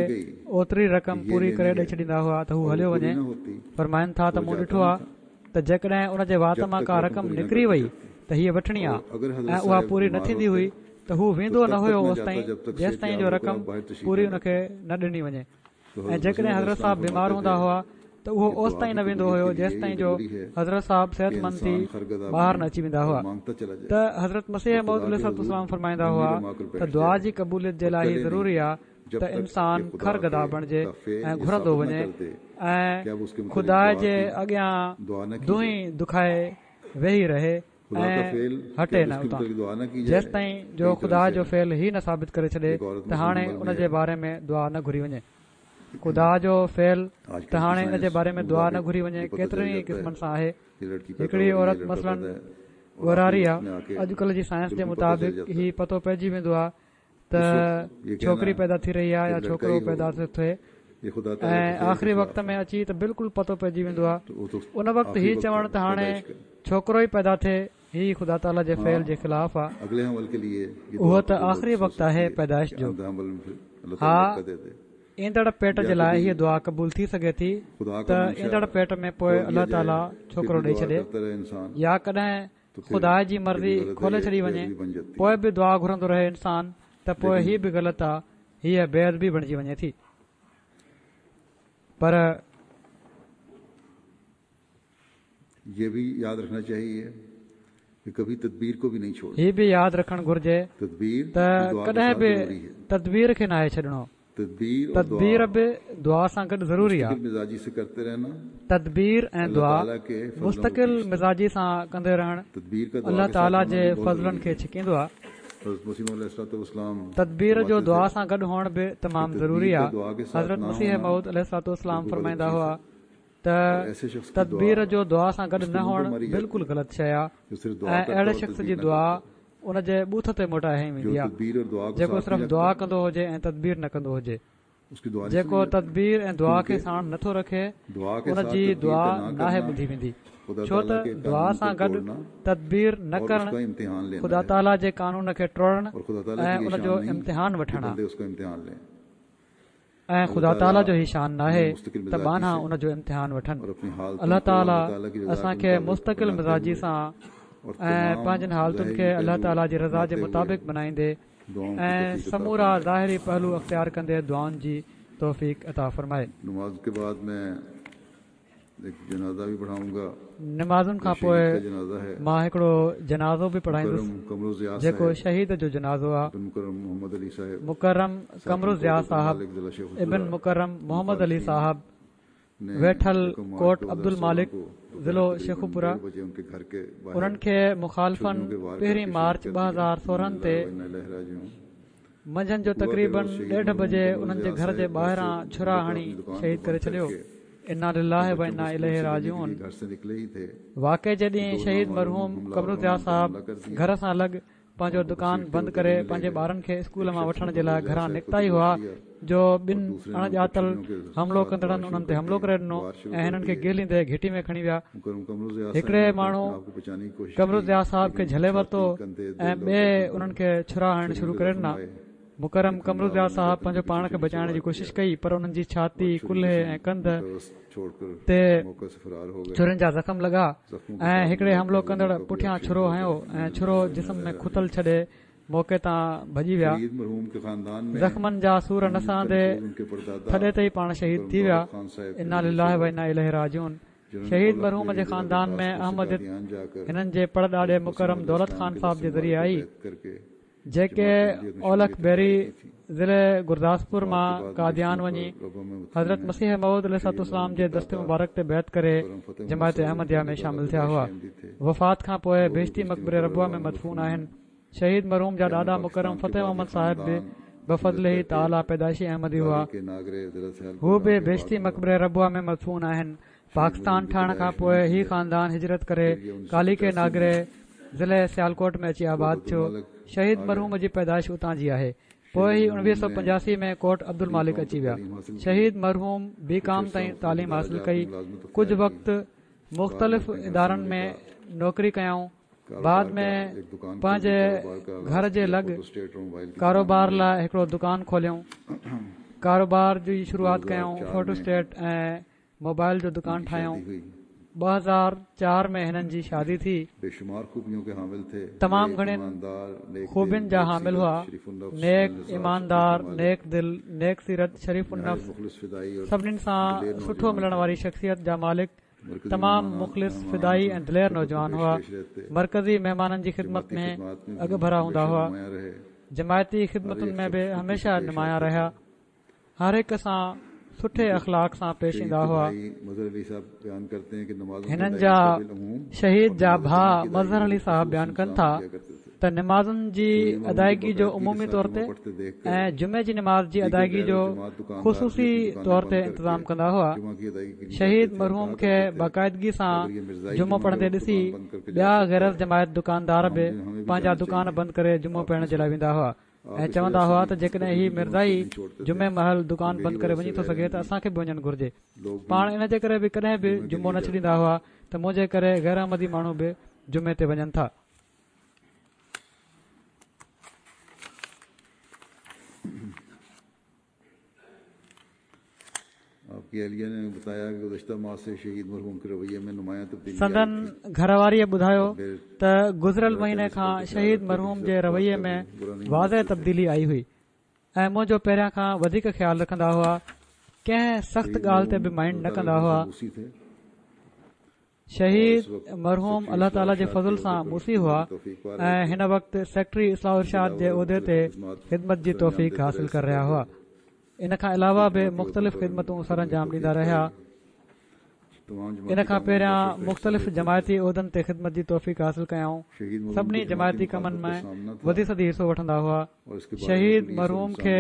اوتري رقم پوري ڪري ڏيئي ڇڏيندا هئا ته هو هليو وڃي. فرمائن ٿا ته مون ڏٺو آهي ته جيڪڏهن ان جي وات مان ڪا رقم نڪري وئي ته هيءَ وٺڻي آهي ۽ اها پوري نه ٿيندي هئي ته هو ويندو نه هيو اوستائين جيستائين جو رقم پوري ان کي نه ڏني وڃي. ۽ جيڪڏهن حضرت صاحب بيمار هوندا هئا ته اهو اوستائين نه ويندو هيو جيستائين جو حضرت صاحب صحتمند ٿي ٻاهر نه اچي ويندا هئا. ته حضرت مسيح موعود عليه الصلوة والسلام فرمائيندا هئا ته دعا جي قبوليت جي لاءِ هي ضروري آهي ته انسان خرگدا بڻجي ۽ گهرندو وڃي ۽ خدا جي اڳيان دونهين دکائي ويهي رهي ۽ هٽي نه اتان جيستائين جو خدا جو فعل هي نه ثابت ڪري ڇڏي ته هاڻي ان جي باري ۾ دعا نه گهري وڃي. خدا جو فعل ته هاڻي ان جي باري ۾ دعا نه گهري وڃي ڪيترن ئي قسمن سان آهي. هڪڙي عورت مثلاً ڳورهاري آهي، اڄڪلهه جي سائنس جي مطابق هي پتو پئجي ويندو آهي ته ڇوڪري پيدا ٿي رهي آهي يا ڇوڪرو پيدا ٿو ٿئي، ۽ آخري وقت ۾ اچي ته بلڪل پتو پئجي ويندو آهي. ان وقت هي چوڻ ته هاڻي ڇوڪرو ئي پيدا ٿئي، هي خدا تعاليٰ جي فعل جي خلاف آهي. اهو ته آخري وقت آهي پيدائش جو. ها، ايندڙ پيٽ جي لاءِ هيءَ دعا قبول ٿي سگهي ٿي ته ايندڙ پيٽ ۾ پوءِ الله تعاليٰ ڇوڪرو ڏيئي ڇڏي، يا ڪڏهن خدا جي مرضي کولي ڇڏي وڃي پوءِ به دعا گهرندو رهي انسان ته پوءِ هيءَ به غلط آهي، هيءَ بي ادبي بڻجي وڃي ٿي. پر هي به ياد رکڻ گهرجي ته ڪڏهن به تدبير کي ناهي ڇڏڻو. تدبير به دعا سان گڏ ضروري آهي. تدبير ۽ دعا مستقل مزاجي سان ڪندي رهڻ الله تعاليٰ جي فضلن کي ڇڪيندو آهي. تدبير جو دعا سان گڏ هئڻ به تمام ضروري آهي. حضرت مسيح موعود عليه الصلوة والسلام فرمائيندا هئا ته تدبير جو دعا سان گڏ نه هئڻ بلڪل غلط شيءِ آهي ۽ اهڙي شخص جي دعا ان جي ٻوٿ تي موٽائي هنئي ويندي آهي جيڪو صرف دعا ڪندو هجي ۽ تدبير نه ڪندو هجي. جيڪو تدبير ۽ دعا کي ساڻ نٿو رکي ان جي دعا ناهي ٻڌي ويندي، ڇو ته دعا سان گڏ تدبير نه ڪرڻ خدا تعاليٰ جي قانون کي ٽوڙڻ ۽ ان جو امتحان وٺڻ آهي ۽ خدا تعاليٰ جو هي شان ناهي ته ٻانها ان جو امتحان وٺن. الله تعاليٰ اسان کي مستقل مزاجي سان ۽ پنهنجن حالتن کي الله تعاليٰ جي رضا جي مطابق بنائيندي ۽ سمورا ظاهري پهلو اختيار ڪندي دعائن جي توفيق عطا فرمائي. نمازن کان پوءِ مان هڪڙو جنازو به پڙهائيندس جيڪو شهيد جو جنازو آهي. مڪرم قمر ضياء صاحب ابن مڪرم محمد علي صاحب، ويٺل ڪوٽ عبدالمالڪ، ضلعو شيخوپوره. انهن کي مخالفن پهرين مارچ ٻه هزار سورهن تي منجهند جو تقريبن ڏيڍ بجي انهن جي گهر جي ٻاهران ڇرا هڻي شهيد ڪري ڇڏيو. انا لله و انا اليه راجعون. واقعي جي ڏينهن شهيد مرحوم قمر ضياء صاحب گهر سان لڳ پنهنجو دڪان بند ڪري پنهنجي ٻارن کي اسڪول مان وٺڻ جي لاءِ گهران نڪتا ئي هئا جو ٻن اڻڄاتل حملو ڪندڙن انهن تي حملو ڪري ڏنو ۽ هنن کي گهليندي گهٽي ۾ کڻي ويا. هڪڙي ماڻهو قمر ضياء صاحب کي جهلي ورتو ۽ ٻئي انهن کي ڇرا هڻڻ شروع ڪري ڏنا. مڪرم قمر ضياء صاحب پنهنجو پاڻ کي بچائڻ جي ڪوشش ڪئي پر انهن جي ڇاتي، ڪلهي ۽ ڪنڌ تي ڇرين جا زخم لڳا ۽ هڪڙي حملو ڪندڙ پٺيان ڇرو هنيو ۽ ڇرو جسم ۾ کتل ڇڏي موقعي تان ڀڄي ويا. زخمن جا سور نه سهندي ٿڏي تي ئي پاڻ شهيد ٿي ويا. انا لله و انا اليه راجعون. شهيد مرحوم جي خاندان ۾ احمديت هنن جي پڙڏاڏي مڪرم دولت خان صاحب جي ذريعي آئي، جيڪي اولک بيري ضلعي گرداسپور مان قاديان وڃي حضرت مسيح موعود عليه الصلوة والسلام جي دست مبارڪ تي بيعت ڪري جماعت احمديه ۾ شامل ٿيا هئا. وفات کان پوءِ بهشتي مقبري ربوه ۾ مدفون آهن. شهيد مرحوم جا ڏاڏا مڪرم فتح محمد صاحب به بفضله تعاليٰ پيدائشي احمدي هئا. هو به بهشتي مقبري ربوه ۾ مدفون آهن. پاڪستان ٺهڻ کان پوءِ هي خاندان هجرت ڪري ڪالي ڪي ناگري ضلعي سيالڪوٽ ۾ اچي آباد ٿيو. شهيد مرحوم جي پيدائش اتان جي آهي. پوءِ هي اڻويهه سؤ پنجاسي ۾ ڪوٽ عبدالمالڪ اچي ويا. شهيد مرحوم بي ڪام تائين تعليم حاصل ڪئي. ڪجهه وقت مختلف ادارن ۾ نوڪري ڪيائون. بعد ۾ پنهنجي گهر جي لڳ ڪاروبار لاءِ هڪڙو دڪان کوليائون. ڪاروبار جي شروعات ڪيائون. فوٽو اسٽيٽ ۽ موبائل جو دڪان ٺاهيائون. ٻه هزار چار ۾ هنن جي شادي ٿي. تمام گهڻين خوبين جا حامل هئا. نيڪ، ايماندار، نيڪ دل، نيڪ سيرت، شريف النفس، سڀنين سان سٺو ملڻ واري شخصيت جا مالڪ، تمام مخلص، فدائي ۽ دلير نوجوان هئا. مرڪزي مهمانن جي خدمت ۾ اڳڀرا هوندا هئا. جماعتي خدمتن ۾ به هميشه نمايان رهيا. هر هڪ سان سٺي اخلاق سان پيش ايندا هئا. هنن جا شهيد جا ڀاءُ مظهر علي صاحب بيان ڪن ٿا ته نمازن جي ادائگي جو عمومي طور تي ۽ جمعي جي نماز جي ادائگي جو خصوصي طور تي انتظام ڪندا هئا. شهيد مرحوم کي باقاعدگي سان جمعو پڙهندي ڏسي ٻيا غير جماعت دڪاندار به پنهنجا دڪان بند ڪري جمعو پڙهڻ جي لاءِ ويندا هئا ۽ چوندا هئا ته جيڪڏهن هي مرزائي جمعي مهل دڪان بند ڪري وڃي ٿو سگهي ته اسان کي به وڃڻ گهرجي. پاڻ ان جي ڪري به ڪڏهن به جمعو نه ڇڏيندا هئا ته منهنجي ڪري غير احمدي ماڻهو به جمعي تي وڃن ٿا. سندن گهر واريءَ ٻڌايو ته گذريل مهيني کان شهيد مرحوم جي رويي ۾ واضح تبديلي آئي هئي ۽ منهنجو پهريان کان وڌيڪ خيال رکندا هئا. ڪنهن سخت ڳالهه تي به مائينڊ نه ڪندا هئا. شهيد مرحوم الله تعاليٰ جي فضل سان موصي هئا ۽ هن وقت سيڪريٽري اصلاح ارشاد جي عهدي تي خدمت جي توفيق حاصل ڪري رهيا هئا. ان کان علاوه به مختلف خدمتون سر انجام ڏيندا رهيا. ان کان پهريان مختلف جماعتي عهدن تي خدمت جي توفيق حاصل ڪيائون. سڀني جماعتي ڪمن ۾ وڌي سڌي حصو وٺندا هئا. شهيد مرحوم کي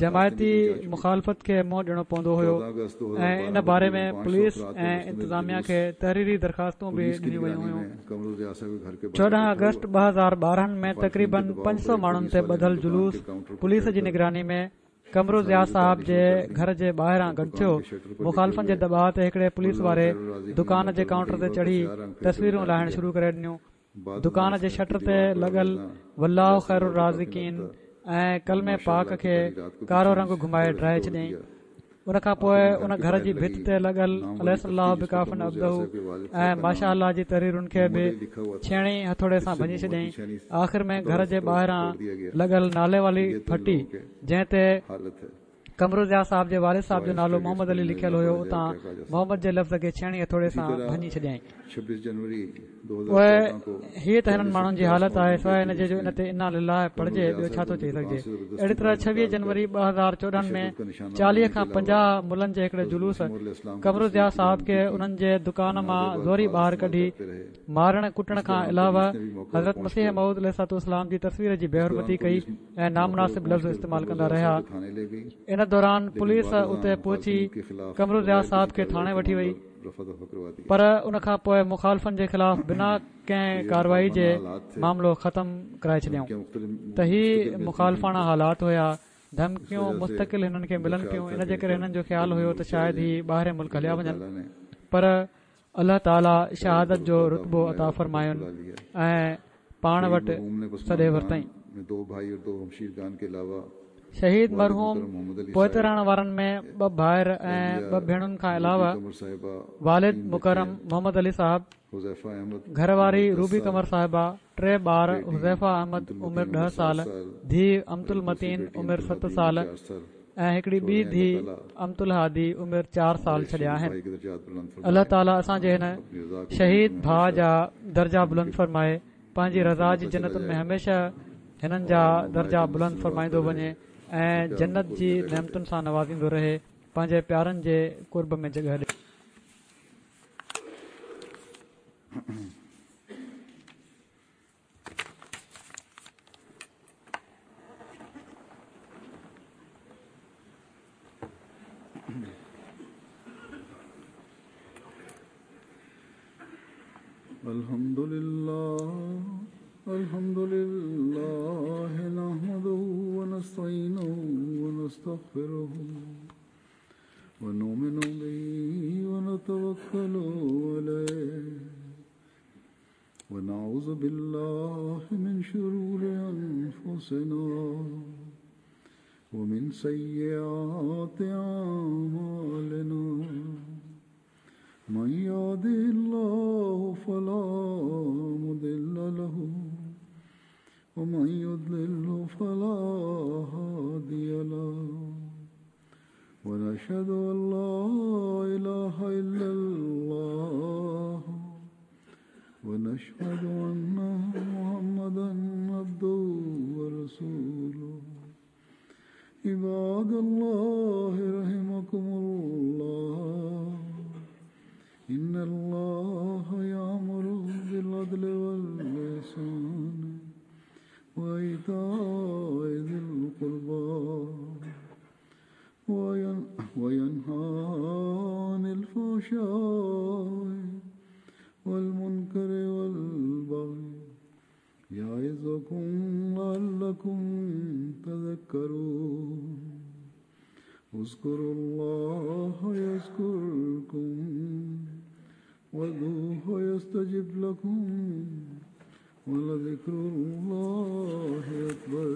جماعتي مخالفت کي منهن ڏيڻو پوندو هيو ۽ ان باري ۾ پوليس ۽ انتظاميا کي تحريري درخواستون به ڏنيون ويون هيون. چوڏهن آگسٽ ٻه هزار ٻارهن ۾ تقريبن پنج سؤ ماڻهن تي ٻڌل جلوس پوليس جي نگراني ۾ قمر ضياء صاحب جي گهر جي ٻاهران گڏ ٿيو. مخالفن جي دٻاءُ تي هڪڙي پوليس واري دڪان جي ڪائونٽر تي چڙهي تصويرون لاهڻ شروع ڪري ڏنيون. دڪان جي شٽر تي لڳل والله خير الرازقين ۽ ڪلمي پاڪ کي ڪارو رنگ گهمائي ڊاهي ڇڏيائين. ان کان پوءِ ان گهر جي ڀت تي لڳل اليس الله بڪاف عبده ۽ ماشاء الله جي تحريرن کي به ڇيڻي هٿوڙي سان ڀڃي ڇڏيائين. آخر ۾ گهر جي ٻاهران لڳل نالي واري ڦٽي، جنهن تي قمر ضياء صاحب جي والد صاحب جو نالو محمد علي لکيل هيو، اتان محمد جي لفظ کي ڇيڻي هٿوڙي سان ڀڃي ڇڏيائين. پوءِ هيءَ ته هنن ماڻهن جي حالت آهي، سواءِ هن جي جو ان تي انا لله پڙهجي، ٻيو ڇا ٿو چئي سگهجي. اهڙي طرح ڇويهه جنوري ٻه هزار چوڏهن ۾ چاليهه کان پنجاهه ملن جي هڪڙي جلوس قمر ضياء صاحب کي انهن جي دڪان مان زوري ٻاهر ڪڍي مارڻ ڪٽڻ کان علاوه حضرت مسيح موعود عليه الصلوة والسلام جي تصوير جي بيحرمتي ڪئي ۽ نامناسب لفظ استعمال ڪندا رهيا. ان دوران پوليس اتي پهچي قمر ضياء صاحب کي ٿاڻي وٺي وئي، پر ان کان پوءِ مخالفن جي خلاف بنا ڪنهن ڪارروائي جي معاملو ختم ڪرائي ڇڏيائون. ته هي مخالفاڻا حالات هيا. ڌمڪيون مستقل هنن کي ملن پيون، ان جي ڪري هنن جو خيال هيو ته شايد هي ٻاهرين ملڪ هليا وڃن، پر الله تعاليٰ شهادت جو رتبو عطا فرماين ۽ پاڻ وٽ سڏي ورتائين. شهيد مرحوم پوئتي رهڻ وارن ۾ ٻه ڀائر ۽ ٻه ڀيڻن کان علاوه والد مڪرم محمد علي صاحب، گهر واري روبي قمر صاحبه، ٽي ٻار حذيفه احمد عمر ڏهه سال، ڌيءُ امت المتين عمر ست سال ۽ هڪڙي ٻي ڌيءُ امت الهادي عمر چار سال ڇڏيا آهن. الله تعاليٰ اسان جي هن شهيد ڀاءُ جا درجا بلند فرمائي، پنهنجي رضا جي جنتن ۾ هميشه هنن جا درجا بلند فرمائيندو وڃي ۽ جنت جي نعمتن سان نوازيندو رهي، پنهنجي پيارن جي قرب ۾ جڳهه ڏي. الحمد لله الحمد لله نحمده ونستعينه ونستغفره ونؤمن به ونتوكل عليه ونعوذ بالله من شرور أنفسنا ومن سيئات أعمالنا من يهده الله فلا مضل له ومن يضلل فلا هادي له ونشهد أن لا إله إلا الله ونشهد أن محمدا عبده ورسوله. عباد الله رحمكم الله، إن الله يأمر بالعدل والإحسان وإيتاء ذي القربى وينهى عن الفحشاء والمنكر والبغي يعظكم لعلكم تذكرون. اذكروا الله يذكركم وادعوه يستجب لكم ولذكر الله أكبر.